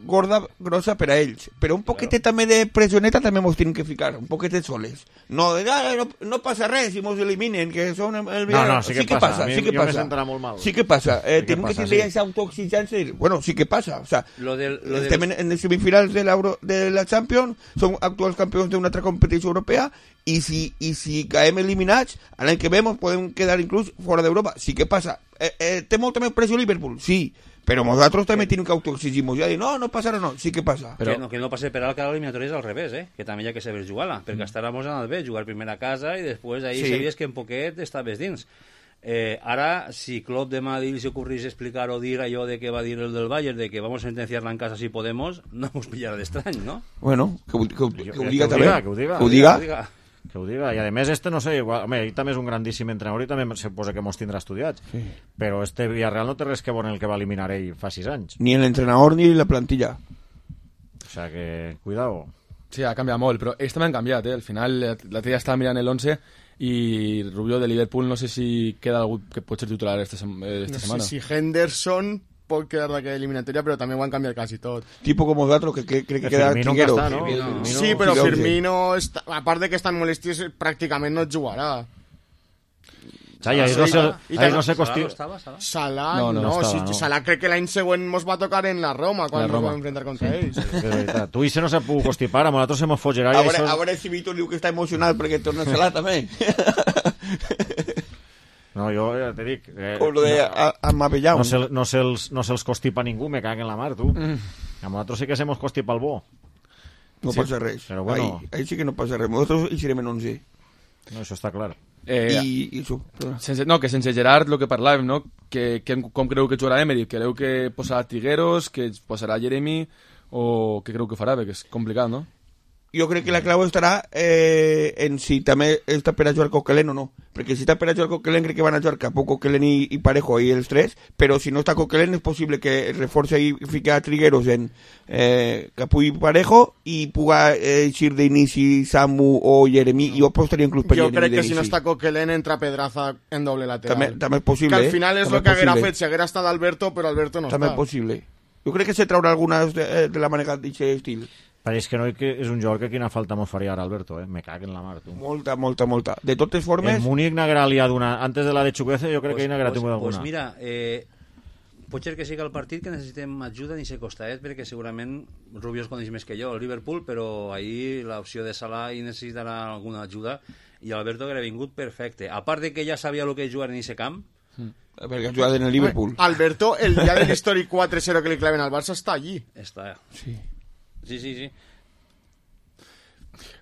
gorda, grossa per a ells, però un poquetet claro. també de pressioneta també mos tenen que ficar, un poquetet soles. No, ah, no, no passa res si mos eliminen, que són el... No, no, sí que, sí que passa, passa, sí que jo passa. me sentarà molt mal. Sí que passa, eh, sí que tenim passa, que tindre sí. esa autoexigència i dir, bueno, sí que passa, o sea, lo del, lo estem del... en, en les semifinals de, de la Champions, som actuals campions d'una altra competició europea, i si, i si caem eliminats, l'any que ve ens podem quedar inclús fora d'Europa. Sí que passa. Eh, eh, té molta més pressió Liverpool? Sí. Però nosaltres també tenim que autoexigir-nos. Ja dir, no, no passarà, no. Sí que passa. Però... Que, no, que no passi per alt que l'eliminatòria és al revés, eh? Que també hi ha que saber jugar-la. Perquè Mm. estaràs anant bé, jugar primer a casa i després ahí Sí. sabies que en poquet estaves dins. Eh, ara, si Klopp demà li se ocorrís explicar o dir allò de que va dir el del Bayern, de que vamos a sentenciar-la en casa si podemos, no us pillarà d'estrany, no? Bueno, que, ho- que, ho- que, ho Que diga ho també. diga, que ho diga. Que ho diga. Que ho diga. Que ho diga, i a més este no sé, igual, home, ell també és un grandíssim entrenador i també se posa que mos tindrà estudiats, sí. Però este Villarreal no té res que veure en el que va eliminar ell fa sis anys, Ni el entrenador ni la plantilla. o sea que, cuidado. Sí, ha canviat molt, però ells també han canviat, eh? Al final, l'altre dia estava mirant el once i Rubio de Liverpool no sé si queda algú que pot ser titular esta, sem eh, esta No setmana. sé si Henderson pot quedar d'aquella eliminatòria, però també ho han canviat quasi tot. Tipo como nosaltres, que, que crec que Que queda Firmino Trigueros. que està, no? Firmino. Firmino- Sí, però sí, Firmino, està, a part de que estan molestis, pràcticament no jugarà. Xai, ahí Sí, no sé, i ahí tant- no sé Salah costi... no estava, Salah? Salah, No, no, no, no, no estava, sí, no. Salah crec que l'any següent mos va tocar en la Roma, quan La ens Roma. vam enfrentar contra ells. Que és veritat. Tu i se no s'ha pogut constipar, amb nosaltres hemos fot Gerard A i veure, això... a veure si Víctor diu que està emocionat perquè torna a Salah també. No, jo ja te dic... Eh, Com lo de Amavellau. no, se, no, se'ls, no se'ls constipa ningú, me cago en la mar, tu. Mm. A nosaltres sí que se mos constipa el bo. No Sí, passa res. però bueno. Ahí, ahí sí que no passa res. Nosaltres hi serem en onze. No, això està clar. Eh, I, i això. sense, no, que sense Gerard, el que parlàvem, no? Que, que, com creu que jugarà Emery? Creu que posarà Trigueros, que posarà Jeremy, o què creu que farà? Perquè és complicat, no? Jo crec que la clau estarà eh, en si també està per a jugar Coquelin o no. Perquè si està per a jugar Coquelin, crec que van a jugar Capó, Coquelin i, i Parejo i els tres, però si no està Coquelin és possible que reforce i fique a Trigueros en eh, Capó i Parejo i puga eh, eixir d'inici Samu o Jeremy. Jo apostaria inclús per Jo Jeremy crec que d'inici. si no està Coquelin entra Pedraza en doble lateral. També, també és possible. que al eh? final és També el que haguera possible. fet si haguera estat Alberto, però Alberto no També està. és possible. Jo crec que se traurà algunes de, de la manera d'aquest estil. Però és que no que és un jugador que quina falta mos faria ara, Alberto, eh? Me cago en la mar, tu. Molta, molta, molta. De totes El formes... Múnich n'haguera liat una... Antes de la de Chukwueze, jo crec Pues, que n'haguera pues, tingut alguna. pues mira, eh, pot ser que sigui el partit que necessitem ajuda ni se costaet, perquè segurament Rubio es coneix més que jo, el Liverpool, però ahir l'opció de Salah hi necessitarà alguna ajuda i Alberto hauria vingut perfecte. A part de que ja sabia el que és jugar en aquest camp, Perquè ha jugat en el Liverpool. Alberto, el dia de l'històric quatre cero que li claven al Barça, està allí. està... Sí. Sí, sí, sí.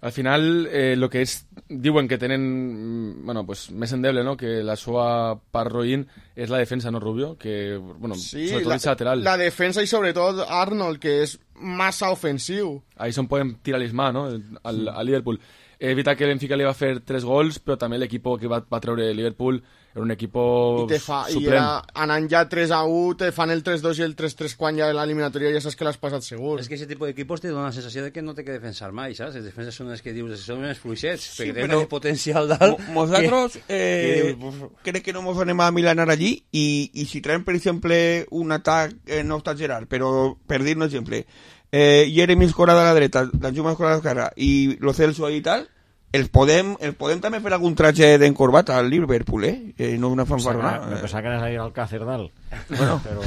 Al final, eh, lo que és... Diuen que tenen, mm, bueno, pues, més endeble, no?, que la seva part roïn és la defensa, no, Rubio? Que, bueno, Sí, sobretot la, el lateral. la defensa i sobretot Arnold, que és massa ofensiu. Ahí és on podem tirar l'ismà, no?, al, al Liverpool. És veritat que el Benfica li va fer tres gols, però també l'equip que va, va treure Liverpool era un equip I, te fa, i suplent. era, anant ja tres a u, te fan el tres dos i el tres tres quan ja l'eliminatòria ja saps que l'has passat segur. És que aquest tipus d'equipos te dona la sensació de que no té que defensar mai, saps? Les defenses són les que dius, són més fluixets, Sí, perquè però- tenen potencial dalt. Mo- Nosaltres que- eh, que- crec que no ens anem a milanar allí i, i si traiem, per exemple, un atac, eh, no està Gerard, però per dir un exemple, eh, Jeremy escorada a la dreta, Danjuma escorada a l'esquerra i Lo Celso ahí i tal, els podem, els podem també fer algun tratge d'encorbat al Liverpool, eh? eh no una Me fanfarrona. pensava que anaves a ir al Càcer dalt. Bueno. Però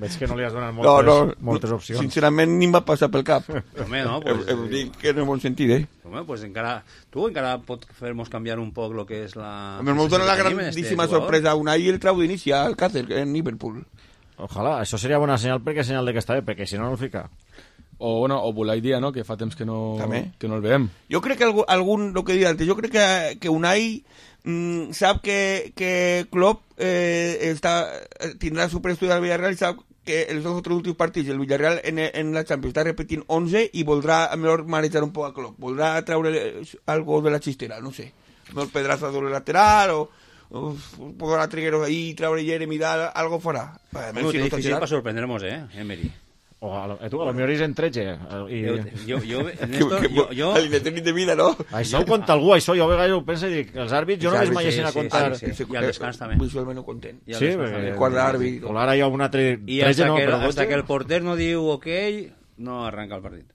veig que no li has donat No, moltes, no, moltes opcions. sincerament ni em va passar pel cap. Home, no, Pues, pues, eh, dic que no en bon sentit, eh? home, pues encara, tu encara pot fer-nos canviar un poc el que és la... A mi em dona la que tenim en grandíssima este jugador. sorpresa una i el trau d'inici al Càcer en Liverpool. Ojalà, això seria bona senyal perquè és senyal de que està bé, perquè si no, no el fica. O, bueno, o Bulai Dia, no?, que fa temps que no, També. que no el veiem. Jo crec que algú, algun, lo que dic antes, jo crec que, que Unai mm, sap que, que Klopp eh, està, tindrà superestudi al Villarreal i sap que els dos o tres últims partits el Villarreal en, en la Champions està repetint onze i voldrà a millor manejar un poc a Klopp, voldrà treure algo de la xistera, no sé, millor Pedraza doble lateral o, o podrà Trigueros ahí, treure Jeremy dalt, algo farà. Bueno, té difícil per sorprendre-nos, eh, Emery. O a lo, eh, tu, a lo millor és en tretze. I... Jo, jo, Néstor, jo, jo... L'independent de vida, no? Això ho conta algú, això. Jo a vegades ho penso i dic, els àrbits, jo no m'hi veiessin a contar. Sí, sí, sí. I al descans també. Visualment ho content. Sí, perquè... Quart d'àrbit. O ara hi ha un altre... I hasta, no, que, hasta que el porter no diu ok, no arranca el partit.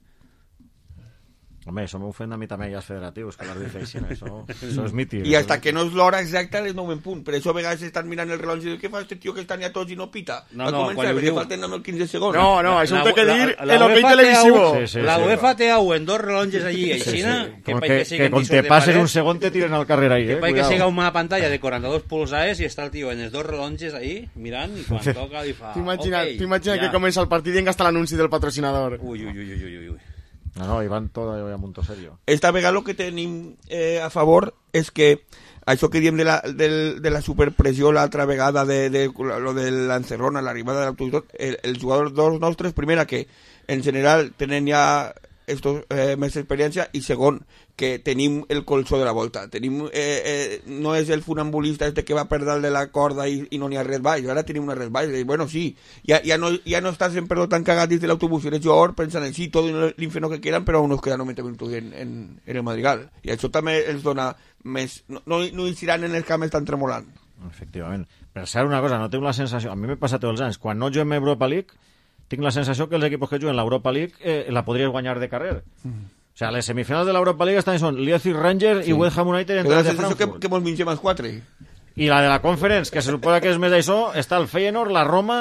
Home, això m'ofèn a mi també, ja els federatius, que l'àrbit feixin, això, això és mític. I hasta que no és l'hora exacta, les nou en punt. Per això a vegades estan mirant el rellotge i diuen, què fa este tio que estan ja tots i no pita? No, no, quan li diu... falten només quinze segons. No, no, això ho té que dir el ok televisivo. Sí, sí, la UEFA té en dos rellotges allí, aixina, que, que, que quan te passes un segon te tiren al carrer ahí, eh? Que que siga una pantalla de quaranta-dos pulsaes i està el tio en els dos rellotges ahí, mirant, i quan toca li fa... T'imagina que comença el partit i enga està l'anunci del patrocinador. Ui, ui, ui, ui, ui, ui. No, no, i van tot a punto serio. Esta vegada el que tenim eh, a favor és que això que diem de la, de, de la superpressió l'altra vegada de, de, de lo de l'encerrona, l'arribada de l'autoritat, el, els jugadors nostres, primera, que en general tenen ja estos, eh, més experiència, i segon, que tenim el colzó de la volta. Tenim, eh, eh, no és el funambulista este que va per dalt de la corda i, i no n'hi ha res baix. Ara tenim una res baix. I, bueno, sí, ja, ja, no, ja no estàs en perdó tan cagat dins de l'autobús. Eres jugador pensant en sí, tot l'infierno que quieran, però aún nos queda noventa minutos en, en, en el Madrigal. I això també els dona més... No, no, no hi seran en els camps tan tremolant. Efectivament. Per ser una cosa, no tinc la sensació... A mi m'he passat tots els anys. Quan no juguem Europa League, tinc la sensació que els equipos que juguen l'Europa League eh, la podries guanyar de carrer. Mm. O sea, les semifinals de l'Europa League estan són Leipzig Rangers sí. i West Ham United entre de Frankfurt. Que, que mos mengem els quatre. I la de la Conference, que se suposa que és més d'això, està el Feyenoord, la Roma,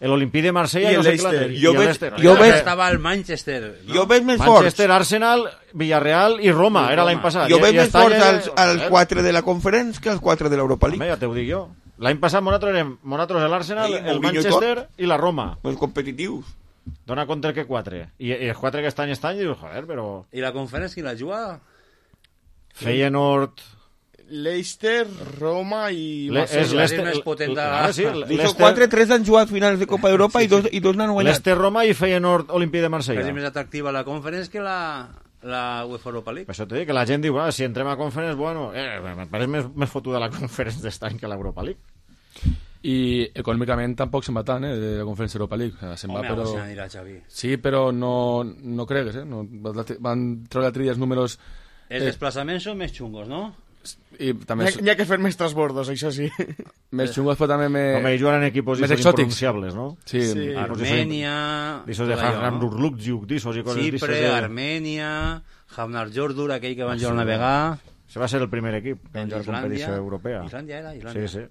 l'Olympique de Marsella i, i el Leicester. Jo I veig, el jo veig, estava el Manchester. No? Jo veig més forts. Manchester, Arsenal, Villarreal i Roma, I era l'any passat. Jo veig I, més forts als, als quatre de la Conference que als quatre de l'Europa League. Home, ja t'ho dic jo. L'any passat nosaltres érem nosaltres l'Arsenal, el Manchester i la Roma. Els competitius. Dona contra que quatre. I, i els quatre que estan estan, i dius, joder, però... I la conferència qui la juga? Feyenoord... Leicester, Roma i... Le, és l'Ester... més potent de... Ah, sí, Leicester... quatre, tres han jugat finals de Copa d'Europa sí, sí. i dos, i dos n'han guanyat. L'Ester, Roma i Feyenoord, Olympique de Marsella. És més atractiva la conferència que la... la UEFA Europa League. Per això t'he dit que la gent diu, ah, si entrem a conference, bueno, eh, me pareix més, més fotuda la conference d'estany que l'Europa League. I econòmicament tampoc se'n va tant, eh, de la Conferència Europa League. Se'n Home, va, però... se n'anirà, Xavi. Sí, però no, no cregues, eh? No, van treure l'altre dia els números... Els eh... desplaçaments són més xungos, no? I també... N'hi ha, ha que fer més transbordos, això sí. Més xungos, però també més... Home, juguen en equipos més impronunciables, no? Sí, sí. Armènia... Disos de Hamrurlukjuk, disos i coses Xipre, de... Armènia, Hamnar Jordur, aquell que van jugar a navegar... Això va ser el primer equip que van jugar a la competició europea. Islàndia era, Islàndia. Sí, sí.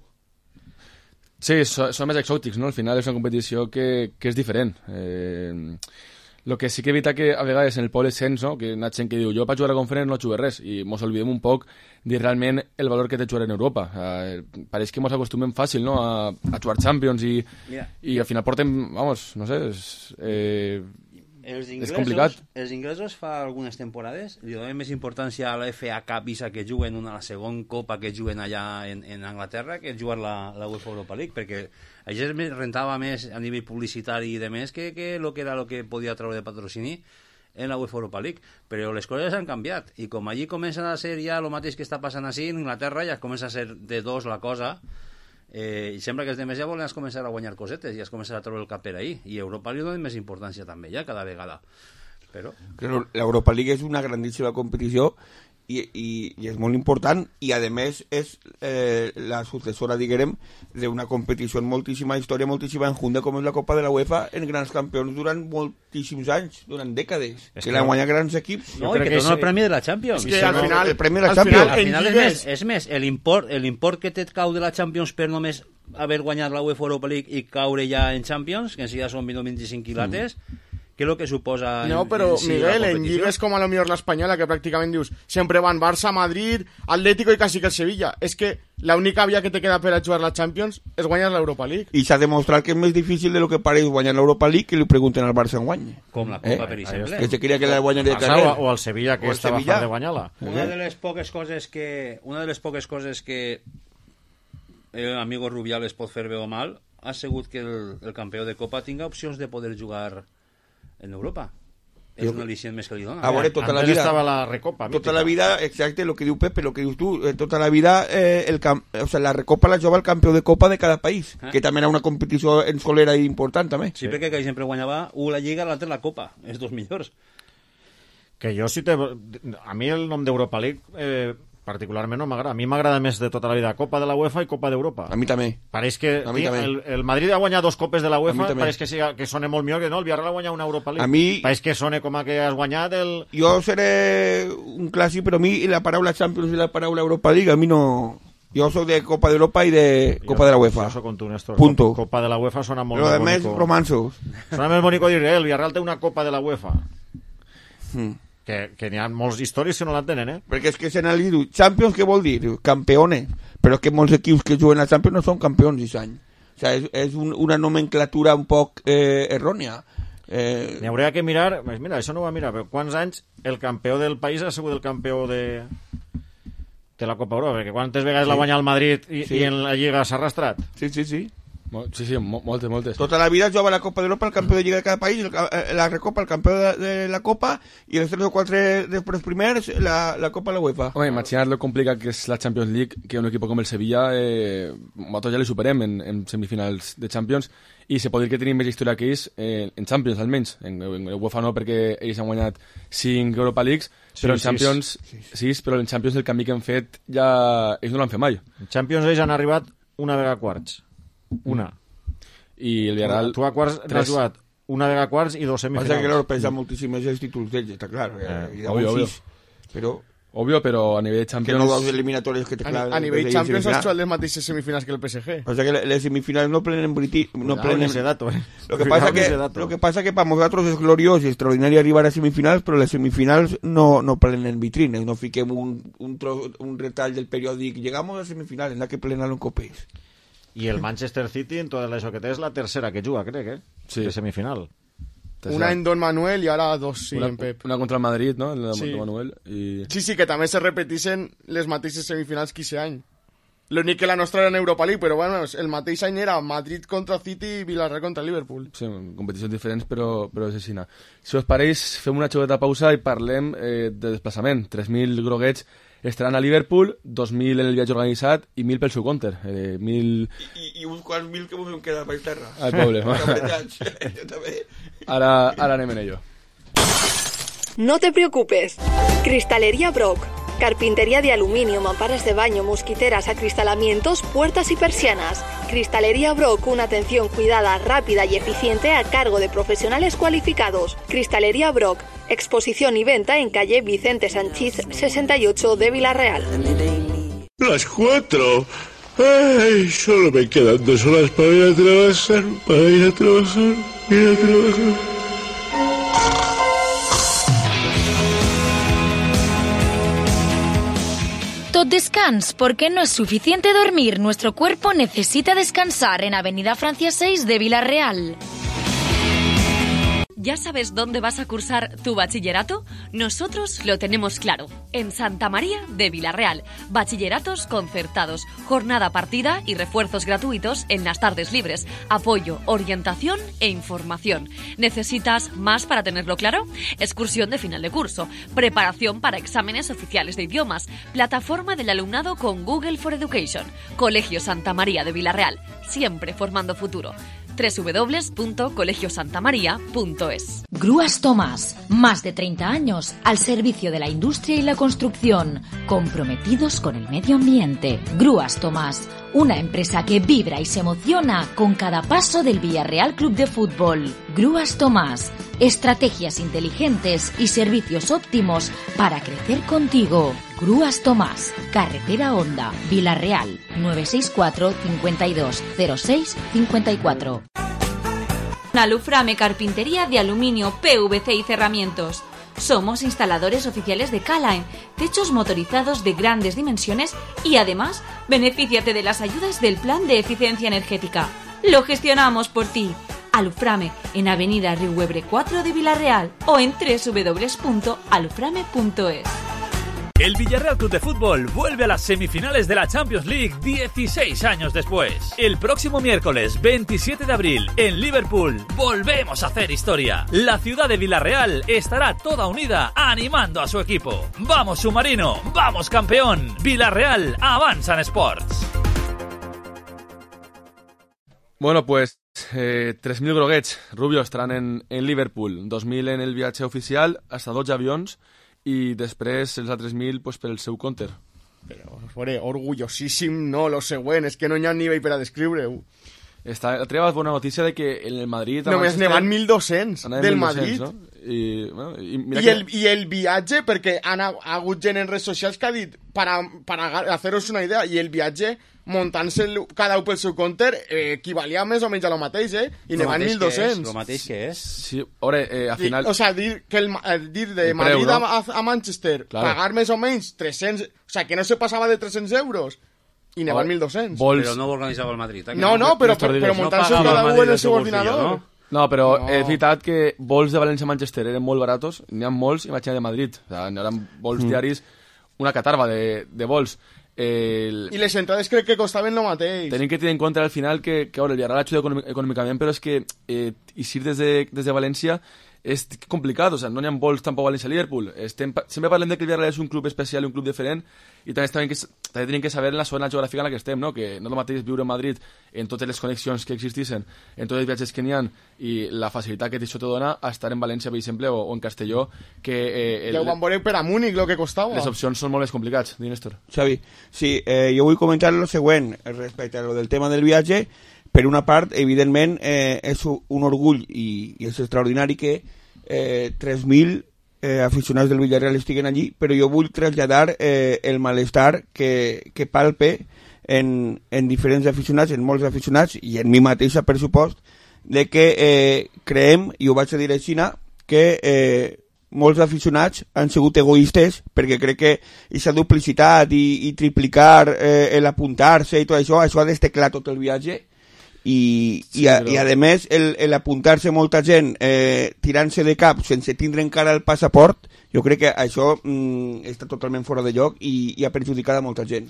Sí, són, són més exòtics, no? Al final és una competició que, que és diferent. Eh, el que sí que evita que a vegades en el poble sents, no? Que hi ha gent que diu, jo per jugar a la conferència no jugué res, i mos oblidem un poc de realment el valor que té jugar en Europa. Eh, pareix que mos acostumem fàcil, no? A, a jugar Champions i, i al final portem, vamos, no sé, és, eh, els inglesos, és complicat. Els inglesos fa algunes temporades li donen més importància a la F A Cup visa que juguen una la segona copa que juguen allà en, en Anglaterra que jugar la, la UEFA Europa League, perquè això rentava més a nivell publicitari i de més que, que lo que era lo que podia treure de patrocini en la UEFA Europa League, però les coses han canviat i com allí comencen a ser ja el mateix que està passant així en Anglaterra, ja comença a ser de dos la cosa. Eh, i sembla que els demés ja volen començar a guanyar cosetes i es començar a treure el cap per ahí, i Europa li dona més importància també ja cada vegada, però l'Europa League és una grandíssima competició i, i, i és molt important i a més és eh, la successora, diguem, d'una competició en moltíssima història, moltíssima enjunta com és la Copa de la UEFA en grans campions durant moltíssims anys, durant dècades, es que, que l'han guanyat grans equips. No, i que, que dona el premi de la Champions. És que al final, el premi de la Champions. Al final és més, és més l'import, l'import que té cau de la Champions per només haver guanyat la UEFA Europa League i caure ja en Champions, que en si ja són vint-i-cinc quilates, mm. que és el que suposa... No, però, en, en Miguel, en lligues com a lo millor l'Espanyola, que pràcticament dius, sempre van Barça, Madrid, Atlético i quasi que el Sevilla. És que l'única via que te queda per a jugar la Champions és guanyar l'Europa League. I s'ha demostrat que és més difícil de lo que pareix guanyar l'Europa League que li pregunten al Barça en guany. Com la Copa, eh? Per exemple. Que se queria que la guanyar de carrer. O al Sevilla, que estava fart de guanyar-la. Una de les poques coses que... Una de les poques coses que el amigo Rubiales pot fer bé o mal ha sigut que el, el campió de Copa tinga opcions de poder jugar en Europa. és un al·licient més que li dona. A veure, tota la Antes vida... estava la Recopa. Tota mítica. la vida, exacte, el que diu Pepe, el que dius tu, eh, tota la vida eh, el camp, o sea, la Recopa la jugava el campió de Copa de cada país, Eh? que també era una competició en solera i important, també. Sí, perquè que sempre guanyava un la Lliga, l'altre la Copa, els dos millors. Que jo si te... A mi el nom d'Europa League eh, particularment no m'agrada. A mi m'agrada més de tota la vida Copa de la UEFA i Copa d'Europa. A mi també. Pareix que A mi tio, també. el, el Madrid ha guanyat dos copes de la A mi UEFA, també. pareix que, siga, que sona molt millor que no, el Villarreal ha guanyat una Europa League. A mi- Pareix que sona com a que has guanyat el... Jo seré un clàssic, però a mi la paraula Champions i la paraula Europa League, a mi no... Jo soc de Copa d'Europa i de Copa jo, de la UEFA. Jo soc com tu, Néstor. Punto. Copa de la UEFA sona molt Lo més demés, bonico. romansos. Sona més bonico dir, eh, el Villarreal té una Copa de la UEFA. Mm. Que, que n'hi ha molts històries que no l'entenen, eh? Perquè és que se n'ha dit, Champions què vol dir? Campeones. Però és que molts equips que juguen a Champions no són campions aquest any. O sea, és, és un, una nomenclatura un poc eh, errònia. Eh, N'hi hauria que mirar, pues mira, això no ho va mirar, però quants anys el campió del país ha sigut el campió de, de la Copa Europa? Perquè quantes vegades Sí. l'ha guanyat el Madrid i, Sí. i en la Lliga s'ha arrastrat? sí, sí, sí. Mo- Sí, sí, mo- moltes, moltes. Tota la vida jugava la Copa d'Europa, el campió de Lliga de cada país, el, ca- eh, la Recopa, el campió de, de la Copa, i els tres o quatre després primers, la, la Copa de la UEFA. Home, imagina't lo complicat que és la Champions League, que un equip com el Sevilla, eh, nosaltres ja li superem en, en semifinals de Champions, i se pot dir que tenim més història que ells eh, en Champions, almenys. En, en UEFA no, perquè ells han guanyat cinc Europa Leagues, Sí, però en sis. Champions, sis, però en Champions el canvi que han fet ja ells no l'han fet mai. En Champions ells han arribat una vegada a quarts. Una. I el Villarreal... Tu a quarts n'has tres. jugat una vegada a quarts i dos Passa semifinals. que l'Europa pesa moltíssim més els títols d'ells, està clar. Eh, Eh, i obvio, obvio. sis, però Obvio, però a nivell de que Champions... no dos eliminatòries que te A, clar, a nivell de Champions has semifinal. jugat les mateixes semifinals que el P S G. Passa que les semifinals no plenen briti, no Cuidado plenen con ese dato, eh. Lo que Cuidado pasa con que ese dato. lo que pasa que para nosotros es glorioso y extraordinario arribar a semifinals, però les semifinals no no plenen vitrines, no fiquem un un, tro, un retall del periòdic, llegamos a semifinales, la que plena en copés. I el Manchester City en tot això que té és la tercera que juga, crec, eh? Sí. De semifinal. Una en Don Manuel i ara dos sí, una, en Pep. una contra el Madrid, no? En la Sí. de Manuel. I... Sí, sí, que també se repeteixen les mateixes semifinals que aquest any. L'únic que la nostra era en Europa League, però bueno, el mateix any era Madrid contra City i Villarreal contra Liverpool. Sí, competicions diferents, però, però és així. Si us pareix, fem una xocota pausa i parlem eh, de desplaçament. tres mil groguets estaran a Liverpool, dos mil en el viatge organitzat i mil pel seu compte. Eh, mil I, i uns quants mil que vos quedar per terra. al poble. Jo també. Ara, ara anem en ello. No te preocupes. Cristalería Brock. Carpintería de aluminio, mamparas de baño, mosquiteras, acristalamientos, puertas y persianas. Cristalería Brock, una atención cuidada, rápida y eficiente a cargo de profesionales cualificados. Cristalería Brock. Exposición y venta en calle Vicente Sanchís sesenta y ocho de Villarreal. Las cuatro. Ay, solo me quedan dos horas para ir a trabajar, para ir a trabajar, ir a trabajar. Tot descans, porque no es suficiente dormir. Nuestro cuerpo necesita descansar en Avenida Francia seis de Villarreal. ¿Ya sabes dónde vas a cursar tu bachillerato? Nosotros lo tenemos claro. En Santa María de Villarreal. Bachilleratos concertados, jornada partida y refuerzos gratuitos en las tardes libres. Apoyo, orientación e información. ¿Necesitas más para tenerlo claro? Excursión de final de curso. Preparación para exámenes oficiales de idiomas. Plataforma del alumnado con Google for Education. Colegio Santa María de Villarreal. Siempre formando futuro. doble u doble u doble u punto colegio santa maría punto es. Grúas Tomás, más de treinta años al servicio de la industria y la construcción, comprometidos con el medio ambiente. Grúas Tomás, una empresa que vibra y se emociona con cada paso del Villarreal Club de Fútbol. Grúas Tomás, estrategias inteligentes y servicios óptimos para crecer contigo. Grúas Tomás, Carretera Honda, Villarreal, nueve seis cuatro, cincuenta y dos, cero seis, cincuenta y cuatro. Aluframe Carpintería de aluminio, P V C y cerramientos. Somos instaladores oficiales de K-Line, techos motorizados de grandes dimensiones y además, benefíciate de las ayudas del Plan de Eficiencia Energética. Lo gestionamos por ti. Aluframe en Avenida Riuebre cuatro de Villarreal o en doble u doble u doble u punto aluframe punto es. El Villarreal Club de Fútbol vuelve a las semifinales de la Champions League dieciséis años después. El próximo miércoles veintisiete de abril en Liverpool volvemos a hacer historia. La ciudad de Villarreal estará toda unida animando a su equipo. ¡Vamos submarino! ¡Vamos campeón! Villarreal avanza en Sports. Bueno, pues eh, tres mil groguets, Rubio, estarán en, en Liverpool, dos mil en el viatge oficial, hasta dotze avions, i després els altres mil pues, per el seu compte. Però, fore, orgullosíssim, no, lo següent, és que no hi ha nivell per a descriure-ho. Està, treva bona notícia de que en el Madrid... Només ne van mil dos-cents del Madrid. No? I, bueno, i, mira I, que... el, I el viatge, perquè han ha, ha hagut gent en redes socials que ha dit, para, para haceros una idea, i el viatge, muntant-se cada un pel seu compte, eh, equivalia més o menys a lo mateix, eh? I ne van mil dos-cents. Lo mateix que és. Sí, ore, eh, al final... O sea, dir, que el, el, dir de el Madrid preu, no? a, a Manchester, claro. pagar més o menys tres-cents... O sea, que no se passava de tres-cents euros. I ne van mil dos-cents. Vols... Però no ho organitzava el Madrid. Eh? No, no, però, però, però muntant-se no cada un en el seu ordinador. No? No, però no. És veritat que vols de València a Manchester eren molt baratos, n'hi ha molts, imagina de Madrid. O sea, n'hi ha vols mm. diaris, una catarba de, de vols. El... I les entrades crec que costaven lo mateix. Tenim que tenir en compte al final que, que ahora, el Villarreal ajuda econòmicament, però és que eh, eixir des de, des de València és complicat, o sea, no n'hi ha vols tampoc a València-Liverpool. Estem, sempre parlem de que el Villarreal és un club especial i un club diferent, i també, també, que, també tenim que saber en la zona geogràfica en la que estem, no? Que no és el mateix viure a Madrid en totes les connexions que existissin, en tots els viatges que n'hi ha, i la facilitat que això te dona a estar en València, per exemple, o, o en Castelló, que... Eh, el, ja ho van veure per a Múnich, el que costava. Les opcions són molt més complicats, di Néstor. Xavi, sí, eh, jo vull comentar el següent respecte a lo del tema del viatge. Per una part, evidentment, eh, és un orgull i, i és extraordinari que eh, tres mil eh, aficionats del Villarreal estiguen allí, però jo vull traslladar eh, el malestar que, que palpe en, en diferents aficionats, en molts aficionats, i en mi mateixa, per supost, de que eh, creem, i ho vaig a dir així, que eh, molts aficionats han sigut egoistes, perquè crec que aquesta duplicitat i, i triplicar eh, l'apuntar-se i tot això, això ha d'esteclar tot el viatge. I, sí, i, a, però... i a més el, el apuntar-se molta gent eh, tirant-se de cap sense tindre encara el passaport, jo crec que això mm, està totalment fora de lloc i, i ha perjudicat a molta gent,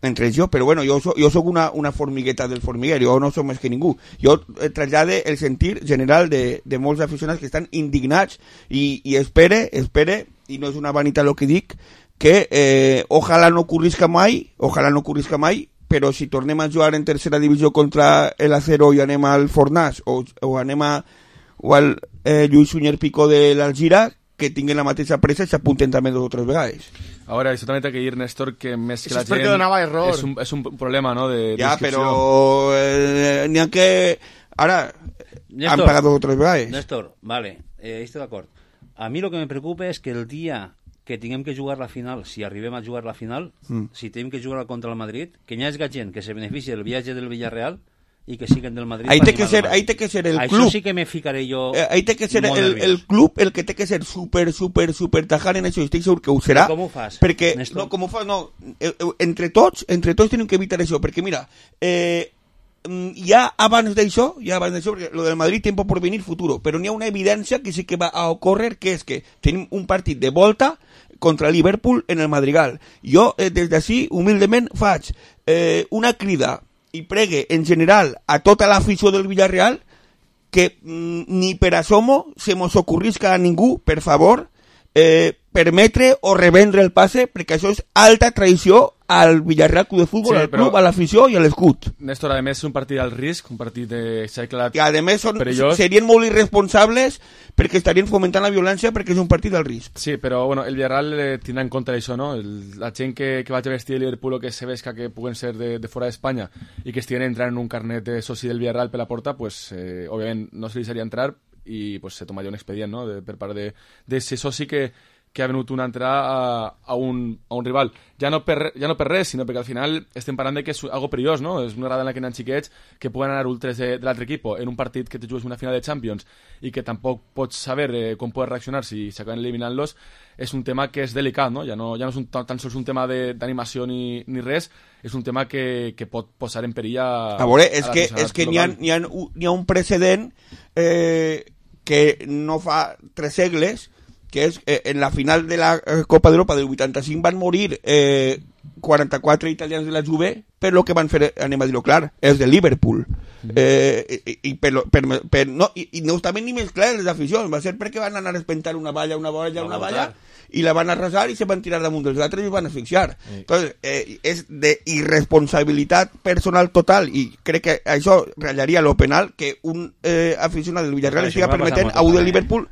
entre ells jo, però bueno, jo, so, jo soc una, una formigueta del formiguer, jo no soc més que ningú. Jo eh, trasllade el sentir general de, de molts aficionats que estan indignats i, i espere, espere, i no és una vanitat el que dic, que eh, ojalà no ocorrisca mai, ojalà no ocorrisca mai, però si tornem a jugar en tercera divisió contra el Acero i anem al Fornàs o, o anem a, o al eh, Lluís Sunyer Picó de l'Algira, que tinguin la mateixa pressa i s'apunten també dues o tres vegades. Ara, això també té que dir, Néstor, que més que això la gent... donava error. És un, és un problema, no?, de ja, però eh, n'hi ha que... Ara, Néstor, han pagat dues o tres vegades. Néstor, vale, eh, estoy d'acord. A mi lo que me preocupa és que el dia que tinguem que jugar la final, si arribem a jugar la final, mm. si tenim que jugar contra el Madrid, que hi hagi gent que se beneficie del viatge del Villarreal i que siguen del Madrid. Ahí té que ser, ahí té que ser el Això club. Sí que me ficaré jo. Eh, ahí té que ser el, el club el que té que ser super, super, super tajant en això. Estic segur que ho serà. Com ho fas, perquè, Néstor? no, com ho fas, no. Eh, eh, entre tots, entre tots tenim que evitar això, perquè mira, eh, ja abans d'això, ja abans d'això, perquè lo del Madrid tiempo por venir futuro, però n'hi ha una evidència que sí que va a ocórrer, que és que tenim un partit de volta contra Liverpool en el Madrigal. Jo, eh, des d'ací, humilment, faig eh, una crida i pregue, en general, a tota l'afició del Villarreal que mm, ni per asomo se mos ocorrisca a ningú, per favor, eh, permetre o revendre el passe, perquè això és alta traïció al Villarreal Club de Fútbol, sí, al club, a l'afició i a l'escut. Néstor, a més, és un partit al risc, un partit de xaclat I a més són, perillós. Serien molt irresponsables perquè estarien fomentant la violència perquè és un partit al risc. Sí, però bueno, el Villarreal eh, tindrà en compte això, no? El, la gent que, que vaig a vestir el Liverpool o que se vesca que puguen ser de, de fora d'Espanya i que estiguen entrant en un carnet de soci del Villarreal per la porta, pues, eh, òbviament no se li seria entrar i pues, se tomaria un expedient, no?, de, per part de, de ese soci que que ha venut una entrada a, a, un, a un rival. Ja no, per, ja no per res, sinó perquè al final estem parlant de que és algo perillós, no? És una grada en la que hi ha xiquets que puguen anar ultres de, de l'altre equip en un partit que te jugues una final de Champions i que tampoc pots saber eh, com pots reaccionar si s'acaben eliminant-los. És un tema que és delicat, no? Ja no, ja no és un, tan sols un tema d'animació ni, ni res, és un tema que, que pot posar en perill a... A veure, és que, és que n'hi ha, n'hi ha, n'hi ha un precedent eh, que no fa tres segles que és eh, en la final de la eh, Copa d'Europa del vuitanta-cinc van morir eh, quaranta-quatre italians de la Juve, per lo que van fer, anem a dir-ho clar, els de Liverpool. Mm. Eh, i, i, per, per, per, no, i, i no estaven ni més clars les aficions, va ser perquè van anar a espentar una valla, una valla, una valla, i la van arrasar i se van tirar damunt dels altres i es van asfixiar. Sí. Entonces, eh, és de irresponsabilitat personal total, i crec que això ratllaria lo penal que un eh, aficionat del Villarreal estiga permetent a un del Liverpool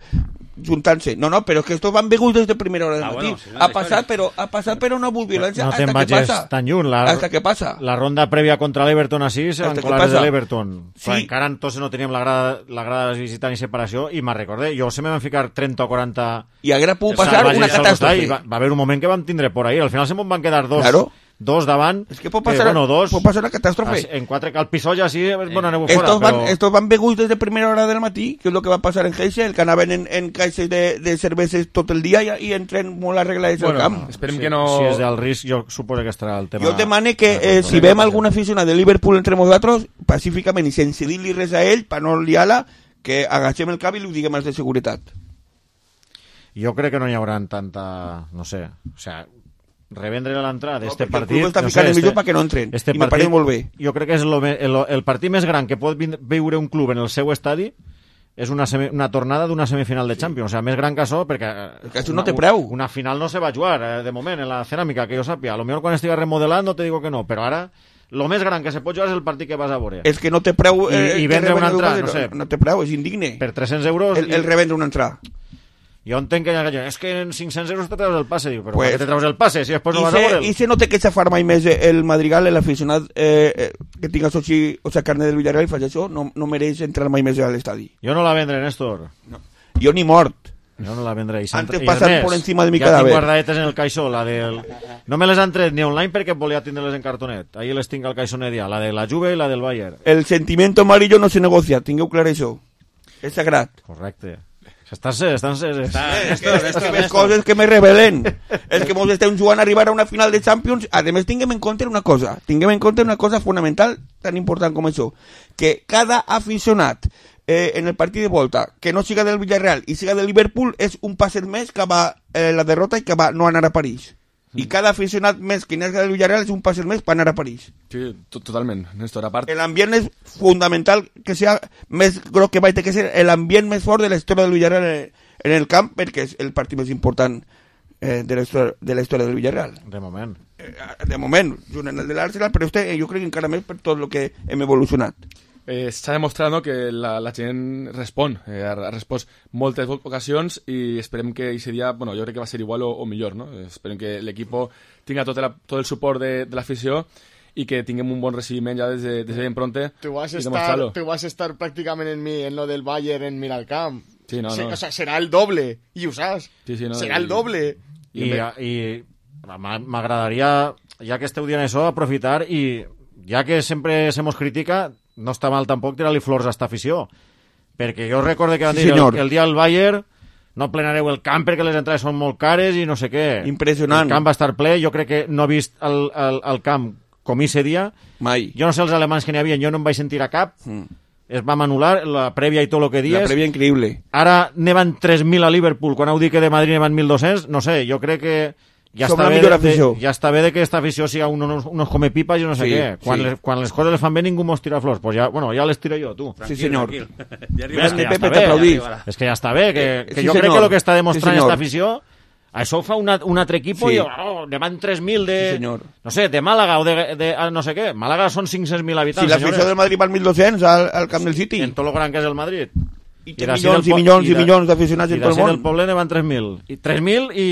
juntant-se. No, no, però és que estos van beguts des de primera hora del ah, matí. Bueno, si no ha passat, però, ha passat però no ha violència no, no hasta que passa. Tan lluny. La, hasta que passa. La ronda prèvia contra l'Everton així se van colar des de l'Everton. Sí. Encara entonces no teníem la grada, la grada de visitar ni separació i me'n recordé, jo se me van ficar trenta o quaranta... I haguera pogut passar una catàstrofe. Va, va haver un moment que vam tindre por ahí. Al final se me'n van quedar dos. Claro. Dos davant, es que pot passar, eh, bueno, dos, pot passar una catàstrofe. En quatre, al Pisó ja sí, bueno, aneu estos fora. Van, però... estos van beguts des de primera hora del matí, que és el que va passar en Heysel, que anaven en, en caixes de, de cerveses tot el dia i, i entren molt arreglats bueno, al camp. Esperem sí, que no... Si és del risc, jo suposo que estarà el tema... Jo demane que eh, si vem algun aficionat de Liverpool entre nosaltres, pacíficament i sense dir-li res a ell, per no liar-la, que agachem el cap i li ho diguem els de seguretat. Jo crec que no hi haurà tanta... no sé, o sea... revendre l'entrada d'este no, partit... El no sé, este, perquè no entren, este i me pareix molt bé. Jo crec que és lo, el, el partit més gran que pot viure un club en el seu estadi és una, semi, una tornada d'una semifinal de Champions, sí. O sea, més gran que això, perquè... Que això no té preu. Una final no se va jugar, eh, de moment, en la ceràmica, que jo sàpia. A lo millor quan estigui remodelant no te digo que no, però ara... Lo més gran que se pot jugar és el partit que vas a veure. És que no té preu... Eh, I, i vendre una entrada, no sé. No té preu, és indigne. Per tres-cents euros... El, el revendre una entrada. Jo entenc que és que en cinc-cents euros te treus el passe, diu, però pues, te treus el passe si després no vas se, a veure'l. I se no té que xafar mai més el Madrigal, l'aficionat eh, eh, que tinga soci, o sea, carnet del Villarreal i faig això, no, no mereix entrar mai més a l'estadi. Jo no la vendré, Néstor. No. Jo ni mort. Jo no la vendré. I antes passar por encima de mi ja cadàver. Ja tinc guardadetes en el caixó, la del... No me les han tret ni online perquè volia tindre-les en cartonet. Ahí les tinc al caixó medià, la de la Juve i la del Bayern. El sentimiento amarillo no se negocia, tingueu clar això. És sagrat. Correcte. Estàs... estàs, estàs és que, és que més coses que me revelen. És que mos estem jugant a arribar a una final de Champions. A més, tinguem en compte una cosa. Tinguem en compte una cosa fonamental tan important com això. Que cada aficionat eh, en el partit de volta que no siga del Villarreal i siga del Liverpool és un passet més que va eh, la derrota i que va no anar a París. I cada aficionat més que n'és del Villarreal és un passet més per anar a París. Sí, totalment, Néstor, a part... L'ambient és fundamental que sea més gros que va que ser l'ambient més fort de la història del Villarreal en el camp, perquè és el partit més important eh, de, la història, de la història del Villarreal. De moment. Eh, de moment, junt en el de l'Arsenal, però este, jo crec que encara més per tot el que hem evolucionat. Eh, S'ha demostrat, no, que la, la gent respon, eh, ha, ha respost moltes ocasions i esperem que aquest dia, bueno, jo crec que va ser igual o, o millor, no? Esperem que l'equip tinga tot, la, tot el suport de, de l'afició i que tinguem un bon recibiment ja des de, des de ben pronte. Tu vas, estar, tu vas estar pràcticament en mi, en lo del Bayern en mirar al camp. Sí, no, no. O sea, serà el doble, i ho saps. Sí, sí, no, serà el doble. I, i, i m'agradaria, ja que esteu dient això, aprofitar i, ja que sempre se mos critica, no està mal tampoc tirar-li flors a esta afició, perquè jo recordo que van dir sí, el, el dia del Bayern no plenareu el camp perquè les entrades són molt cares i no sé què. Impressionant. El camp va estar ple, jo crec que no he vist el, el, el camp com ese dia. Mai. Jo no sé els alemanys que n'hi havia, jo no em vaig sentir a cap. Mm. Es va anul·lar la prèvia i tot el que dies. La prèvia increïble. Ara nevan tres mil a Liverpool, quan heu dit que de Madrid nevan mil dos-cents, no sé, jo crec que ja està, bé de, ja està bé de que esta afició siga unos, unos comepipas i no sé sí, què. Quan, sí. les, quan les coses les fan bé ningú mos tira flors. Pues ja, bueno, ja les tiro jo, tu. Tranquil, sí, senyor. Ja és, que ja està bé, és que ja està bé. Que, que sí, jo senyor. crec que el que està demostrant sí, esta afició, això ho fa una, un altre equip sí. i oh, ne van tres mil de... Sí, no sé, de Màlaga o de, de no sé què. Màlaga són cinc-cents mil habitants, si l'afició del Madrid van mil dos-cents al, al camp del City. En tot lo gran que és el Madrid. I, I milions i milions i, i milions d'aficionats en tot el món. I del poble ne van tres mil. I tres mil i...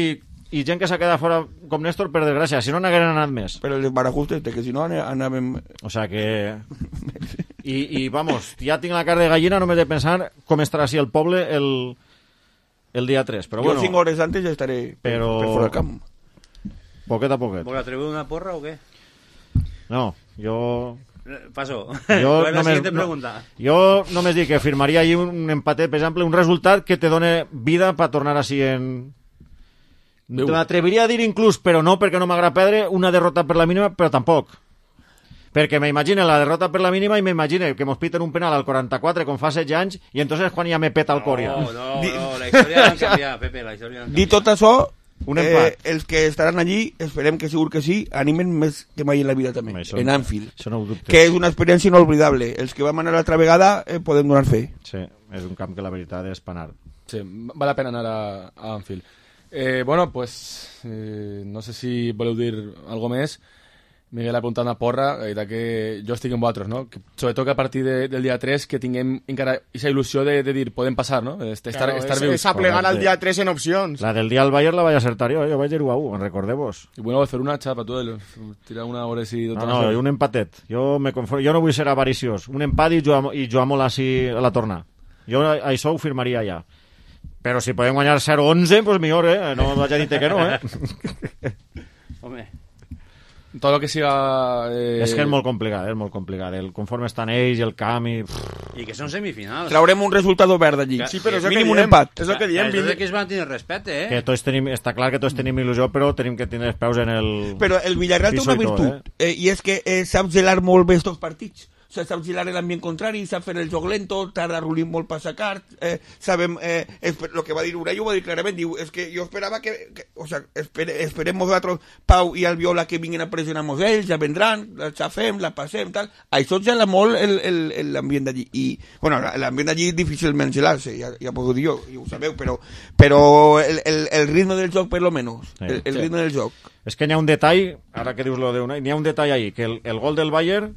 i gent que s'ha quedat fora com Néstor, per desgràcia, si no n'hagueren anat més. Però el barajuste, que si no anàvem... O sea que... I, i vamos, ja tinc la cara de gallina només de pensar com estarà així el poble el, el dia tres. Però jo bueno, cinc hores antes ja estaré però... per fora del camp. Poquet a poquet. ¿Vol atrever una porra o què? No, jo... Paso. Jo bueno, només, pregunta. No, jo només dic que firmaria allí un empatet, per exemple, un resultat que te done vida per tornar així en... M'atreviria a dir inclús, però no perquè no m'agrada perdre, una derrota per la mínima, però tampoc. perquè m'imagine la derrota per la mínima i m'imagine que mos piten un penal al quaranta-quatre com fa setze anys i entonces quan ja me peta el cor ja. No, no, no, la història l'han canviat, Pepe, la història l'han canviat. Dit tot això, un empat. Eh, els que estaran allí, esperem que segur que sí, animen més que mai en la vida també, això, en Anfield, això no ho dubtes. que és una experiència inolvidable. Els que vam anar l'altra vegada eh, podem donar fe. Sí, és un camp que la veritat és panar. Sí, val la pena anar a, a Anfield. Eh, bueno, pues eh, no sé si voleu dir algo més. Miguel ha apuntat una porra, eh, que jo estic amb vosaltres, no? Que, sobretot que a partir de, del dia tres que tinguem encara aquesta il·lusió de, de dir, podem passar, no? Estar, claro, estar és, vius. és aplegar al dia tres en opcions. La del dia al Bayern la vaig acertar jo, jo vaig dir u a u, recordeu-vos. I bueno, fer una xapa, tu, tirar una hora així... No, no, un empatet. Jo, me conformo, jo no vull ser avariciós. Un empat i jugar, i jugar molt així a la torna. Jo això ho firmaria ja. Però si podem guanyar zero onze, pues millor, eh? No vaig a dir que no, eh? Home... Tot el que siga... Eh... És que és molt complicat, és molt complicat. El conforme estan ells, el camp i... I que són semifinals. Traurem un resultat verd allí. Sí, però és el que mínim un diem. empat. És el que diem. És que es van tenir respecte, eh? Que tots tenim, està clar que tots tenim il·lusió, però tenim que tenir els peus en el... Però el Villarreal té una virtut, tot, eh? Eh, i és que eh, sap gelar molt bé estos partits. O sea, sap gelar l'ambient contrari, sap fer el joc lento, tarda Rulín molt per sacar, eh, sabem, eh, el que va dir Urey ho va dir clarament, diu, és que jo esperava que, que o sea, espere, esperem nosaltres Pau i Albiol que vinguin a pressionar-nos ells, ja vendran, la xafem, la passem, tal. Això gela molt l'ambient d'allí. I, bueno, l'ambient d'allí és difícilment gelar-se, ja, ja puc dir jo, ja ho sabeu, però, però el, el, el ritme del joc, per lo menos, sí, el, el sí. ritme del joc. És que n'hi ha un detall, ara que dius lo de una, n'hi ha un detall ahí, que el, el gol del Bayern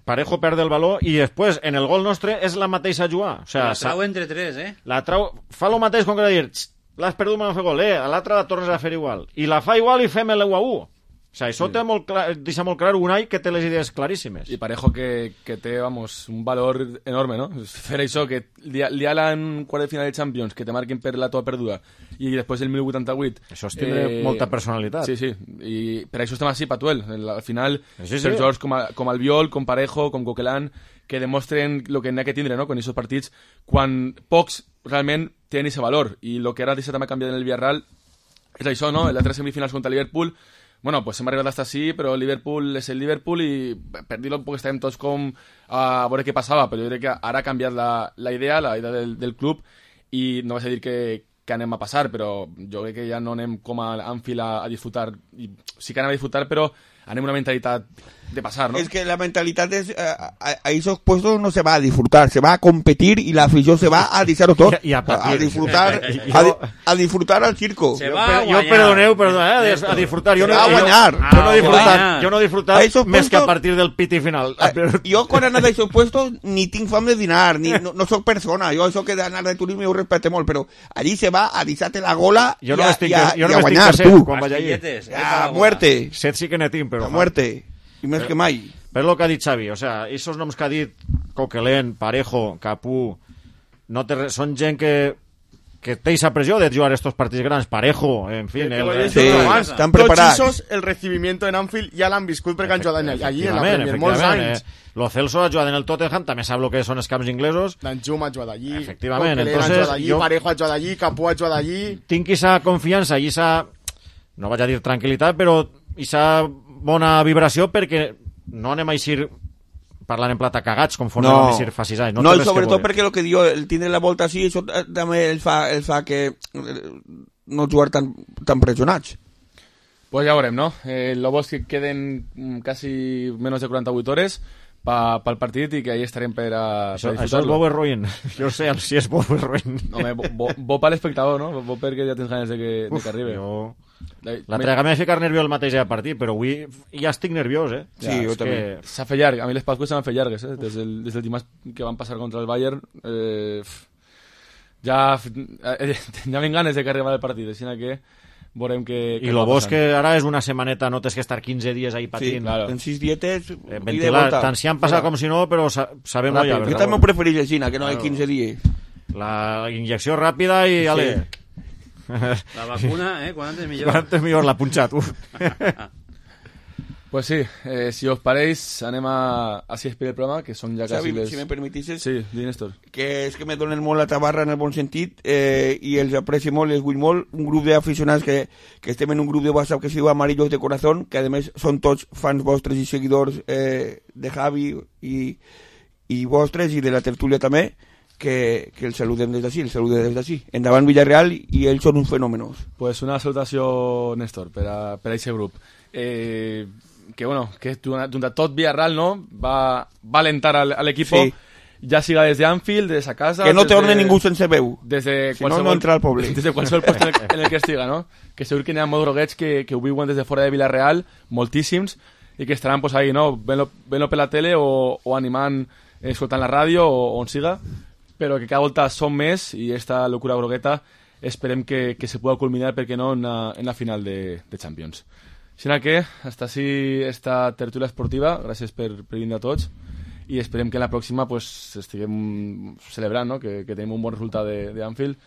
Parejo perde el valor i després en el gol nostre és la mateixa jugada. O sea, la trau entre tres, eh? La trau, fa el mateix com que dir, l'has perdut, me no fer gol, eh? A l'altra la tornes a fer igual. I la fa igual i fem el u a u. O sea, això sí. té molt clar, deixa molt clar Unai que té les idees claríssimes. I Parejo que, que té, vamos, un valor enorme, no? Fer això, que liar-la en quart de final de Champions, que te marquen per la tova perduda, i després el mil vuitanta-vuit... Això és tindre eh, molta personalitat. Sí, sí, i per això estem així, Patuel. Al final, sí, sí. per jugadors com, a, com Albiol, com Parejo, com Coquelin, que demostren el que n'hi ha que tindre, no?, con aquests partits, quan pocs realment tenen aquest valor. I el que ara deixa també canviar en el Villarreal és això, no?, en les tres semifinals contra Liverpool. Bueno, pues hem arribat hasta així, però el Liverpool és el Liverpool i per dir-ho un poc estàvem tots com a veure què passava, però jo crec que ara ha canviat la, la idea, la idea del, del club, i no vaig a dir que, que anem a passar, però jo crec que ja no anem com a Anfield a, a disfrutar, i sí que anem a disfrutar, però anem una mentalitat de pasar, ¿no? Es que la mentalidad es, eh, a, a esos puestos no se va a disfrutar, se va a competir y la afición se va a disfrutar todo. Y a, a, a disfrutar, a, di, a disfrutar al circo. Se va a yo perdoneu, perdoneu, eh, a disfrutar. Yo no, va a guanyar. Yo, yo no he disfrutat, yo no he disfrutat més que a partir del piti final. A, jo quan he anat a aquests puestos ni tinc fam de dinar, ni, no, no soc persona, jo això que d'anar de turisme ho respecte molt, però allí se va a deixar-te la gola jo i, no a, estic, i, a, jo i no a guanyar, set, tu. Quan vaig allí. A muerte. Set sí que n'he tinc, però... A muerte. I més que mai. Per lo que ha dit Xavi, o sea, esos noms que ha dit Coquelin, Parejo, Capú, no te, són gent que que té esa pressió de jugar estos partits grans, Parejo, en fin... El, el, sí, estan preparats. Tots esos, el recibimiento en Anfield ja l'han viscut perquè han jugat allí, en la Premier, molts anys. Eh, Lo Celso ha jugat en el Tottenham, també sap el que són els camps inglesos. Danjum ha jugat allí, efectivament, Coquelin entonces, ha jugat allí, jo... Parejo ha jugat allí, Capú ha jugat allí... Tinc esa confiança i esa, no vaig a dir tranquil·litat, però esa bona vibració perquè no anem a eixir parlant en plata cagats conforme no. vam eixir fa sis anys. No, no i sobretot perquè el que diu, el tindre la volta així, això també el fa, el fa que no jugar tan, tan pressionats. Pues ja veurem, no? Eh, lo bo és que queden quasi menys de quaranta-vuit hores pa, pa el partit i que ahí estarem per a, això, per a això és bo ruïn. Jo sé si és bo ruïn. Home, bo, bo, bo per l'espectador, no? Bo perquè ja tens ganes de que, Uf, de que arribi. Jo... La trega m'ha ficat nerviós el mateix a partir, però avui ja estic nerviós, eh? Sí, ja, jo també. Que... S'ha fet llarg, a mi les Pasques s'han fet llargues, eh? Des del, des del dimarts que van passar contra el Bayern, eh, ja, eh, ja ven ganes de que arriba el partit, així que veurem que... I lo bo és que ara és una setmaneta, no tens que estar quinze dies ahí patint. Sí, claro. En sis dietes... Eh, ventilar, tant si han passat com si no, però sa sabem ja. Jo també ho preferís així, que no hi ha quinze dies. La injecció ràpida i... Ale. Sí. La vacuna, eh? Quan antes millor. Quan antes millor, la punxat, uf. Pues sí, eh, si us pareix, anem a, a si explicar el programa, que són ja quasi Xavi, les... si me permetisses, Sí, di, Néstor. que és que me donen molt la tabarra en el bon sentit eh, i els aprecio molt, els vull molt. Un grup d'aficionats que, que estem en un grup de WhatsApp que es diu Amarillos de Corazón, que a més són tots fans vostres i seguidors eh, de Javi i, i vostres i de la tertúlia també, que, que els saludem des d'ací, els saludem des d'ací. Endavant Villarreal i ells són uns fenòmenos. Pues una salutació, Néstor, per a, per a aquest grup. Eh, que bueno, que durant tot Villarreal, no, va, va alentar al, al equipo, Sí. ja siga des de Anfield, des de sa casa... Que no des torne de, ningú sense veu. Des de Si no, no entra al poble. Des de qualsevol lloc en, el, en el que estiga, no? Que segur que n'hi ha molt droguets que, que ho viuen des de fora de Villarreal, moltíssims, i que estaran pues, ahí, no? Ven-lo, ven-lo per la tele o, o animant, eh, escoltant la ràdio o on siga, però que cada volta són més i esta locura grogueta esperem que, que se pueda culminar, perquè no, en la, en la final de, de Champions. Així que, hasta així esta tertúlia esportiva, gràcies per, per vindre a tots, i esperem que en la pròxima pues, estiguem celebrant, no? que, que tenim un bon resultat d'Anfield,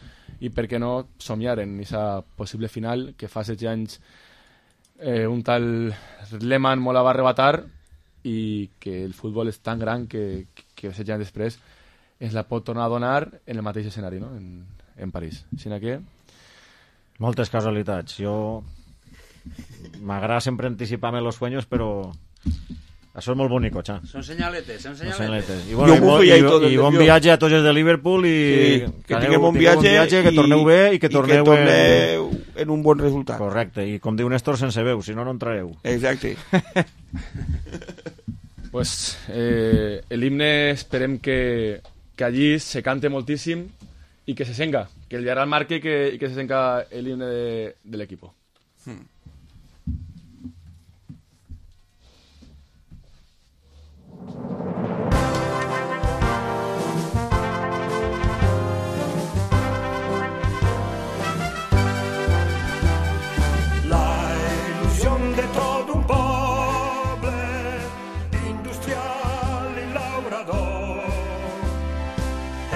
i per què no somiar en aquesta possible final que fa setze anys eh, un tal Lehmann molt la va arrebatar, i que el futbol és tan gran que, que setze anys després ens la pot tornar a donar en el mateix escenari, no? en, en París. Així que... Moltes casualitats. Jo... M'agrada sempre anticipar-me los sueños, però això és molt bonico, xa. Són senyaletes, són Són senyaletes. senyaletes. I, bueno, i, mo- i, i, i bon viatge a tots els de Liverpool i Sí, que aneu- tinguem bon tingueu viatge, que torneu i, bé i que torneu, i que torneu en... en un bon resultat. Correcte, i com diu Néstor, sense veu, si no, no entrareu. Exacte. Pues eh, el himne esperem que, que allí se cante moltíssim i que se senga, que el Villarreal marque i que, i que se senga el himne de, de l'equipo. Hmm.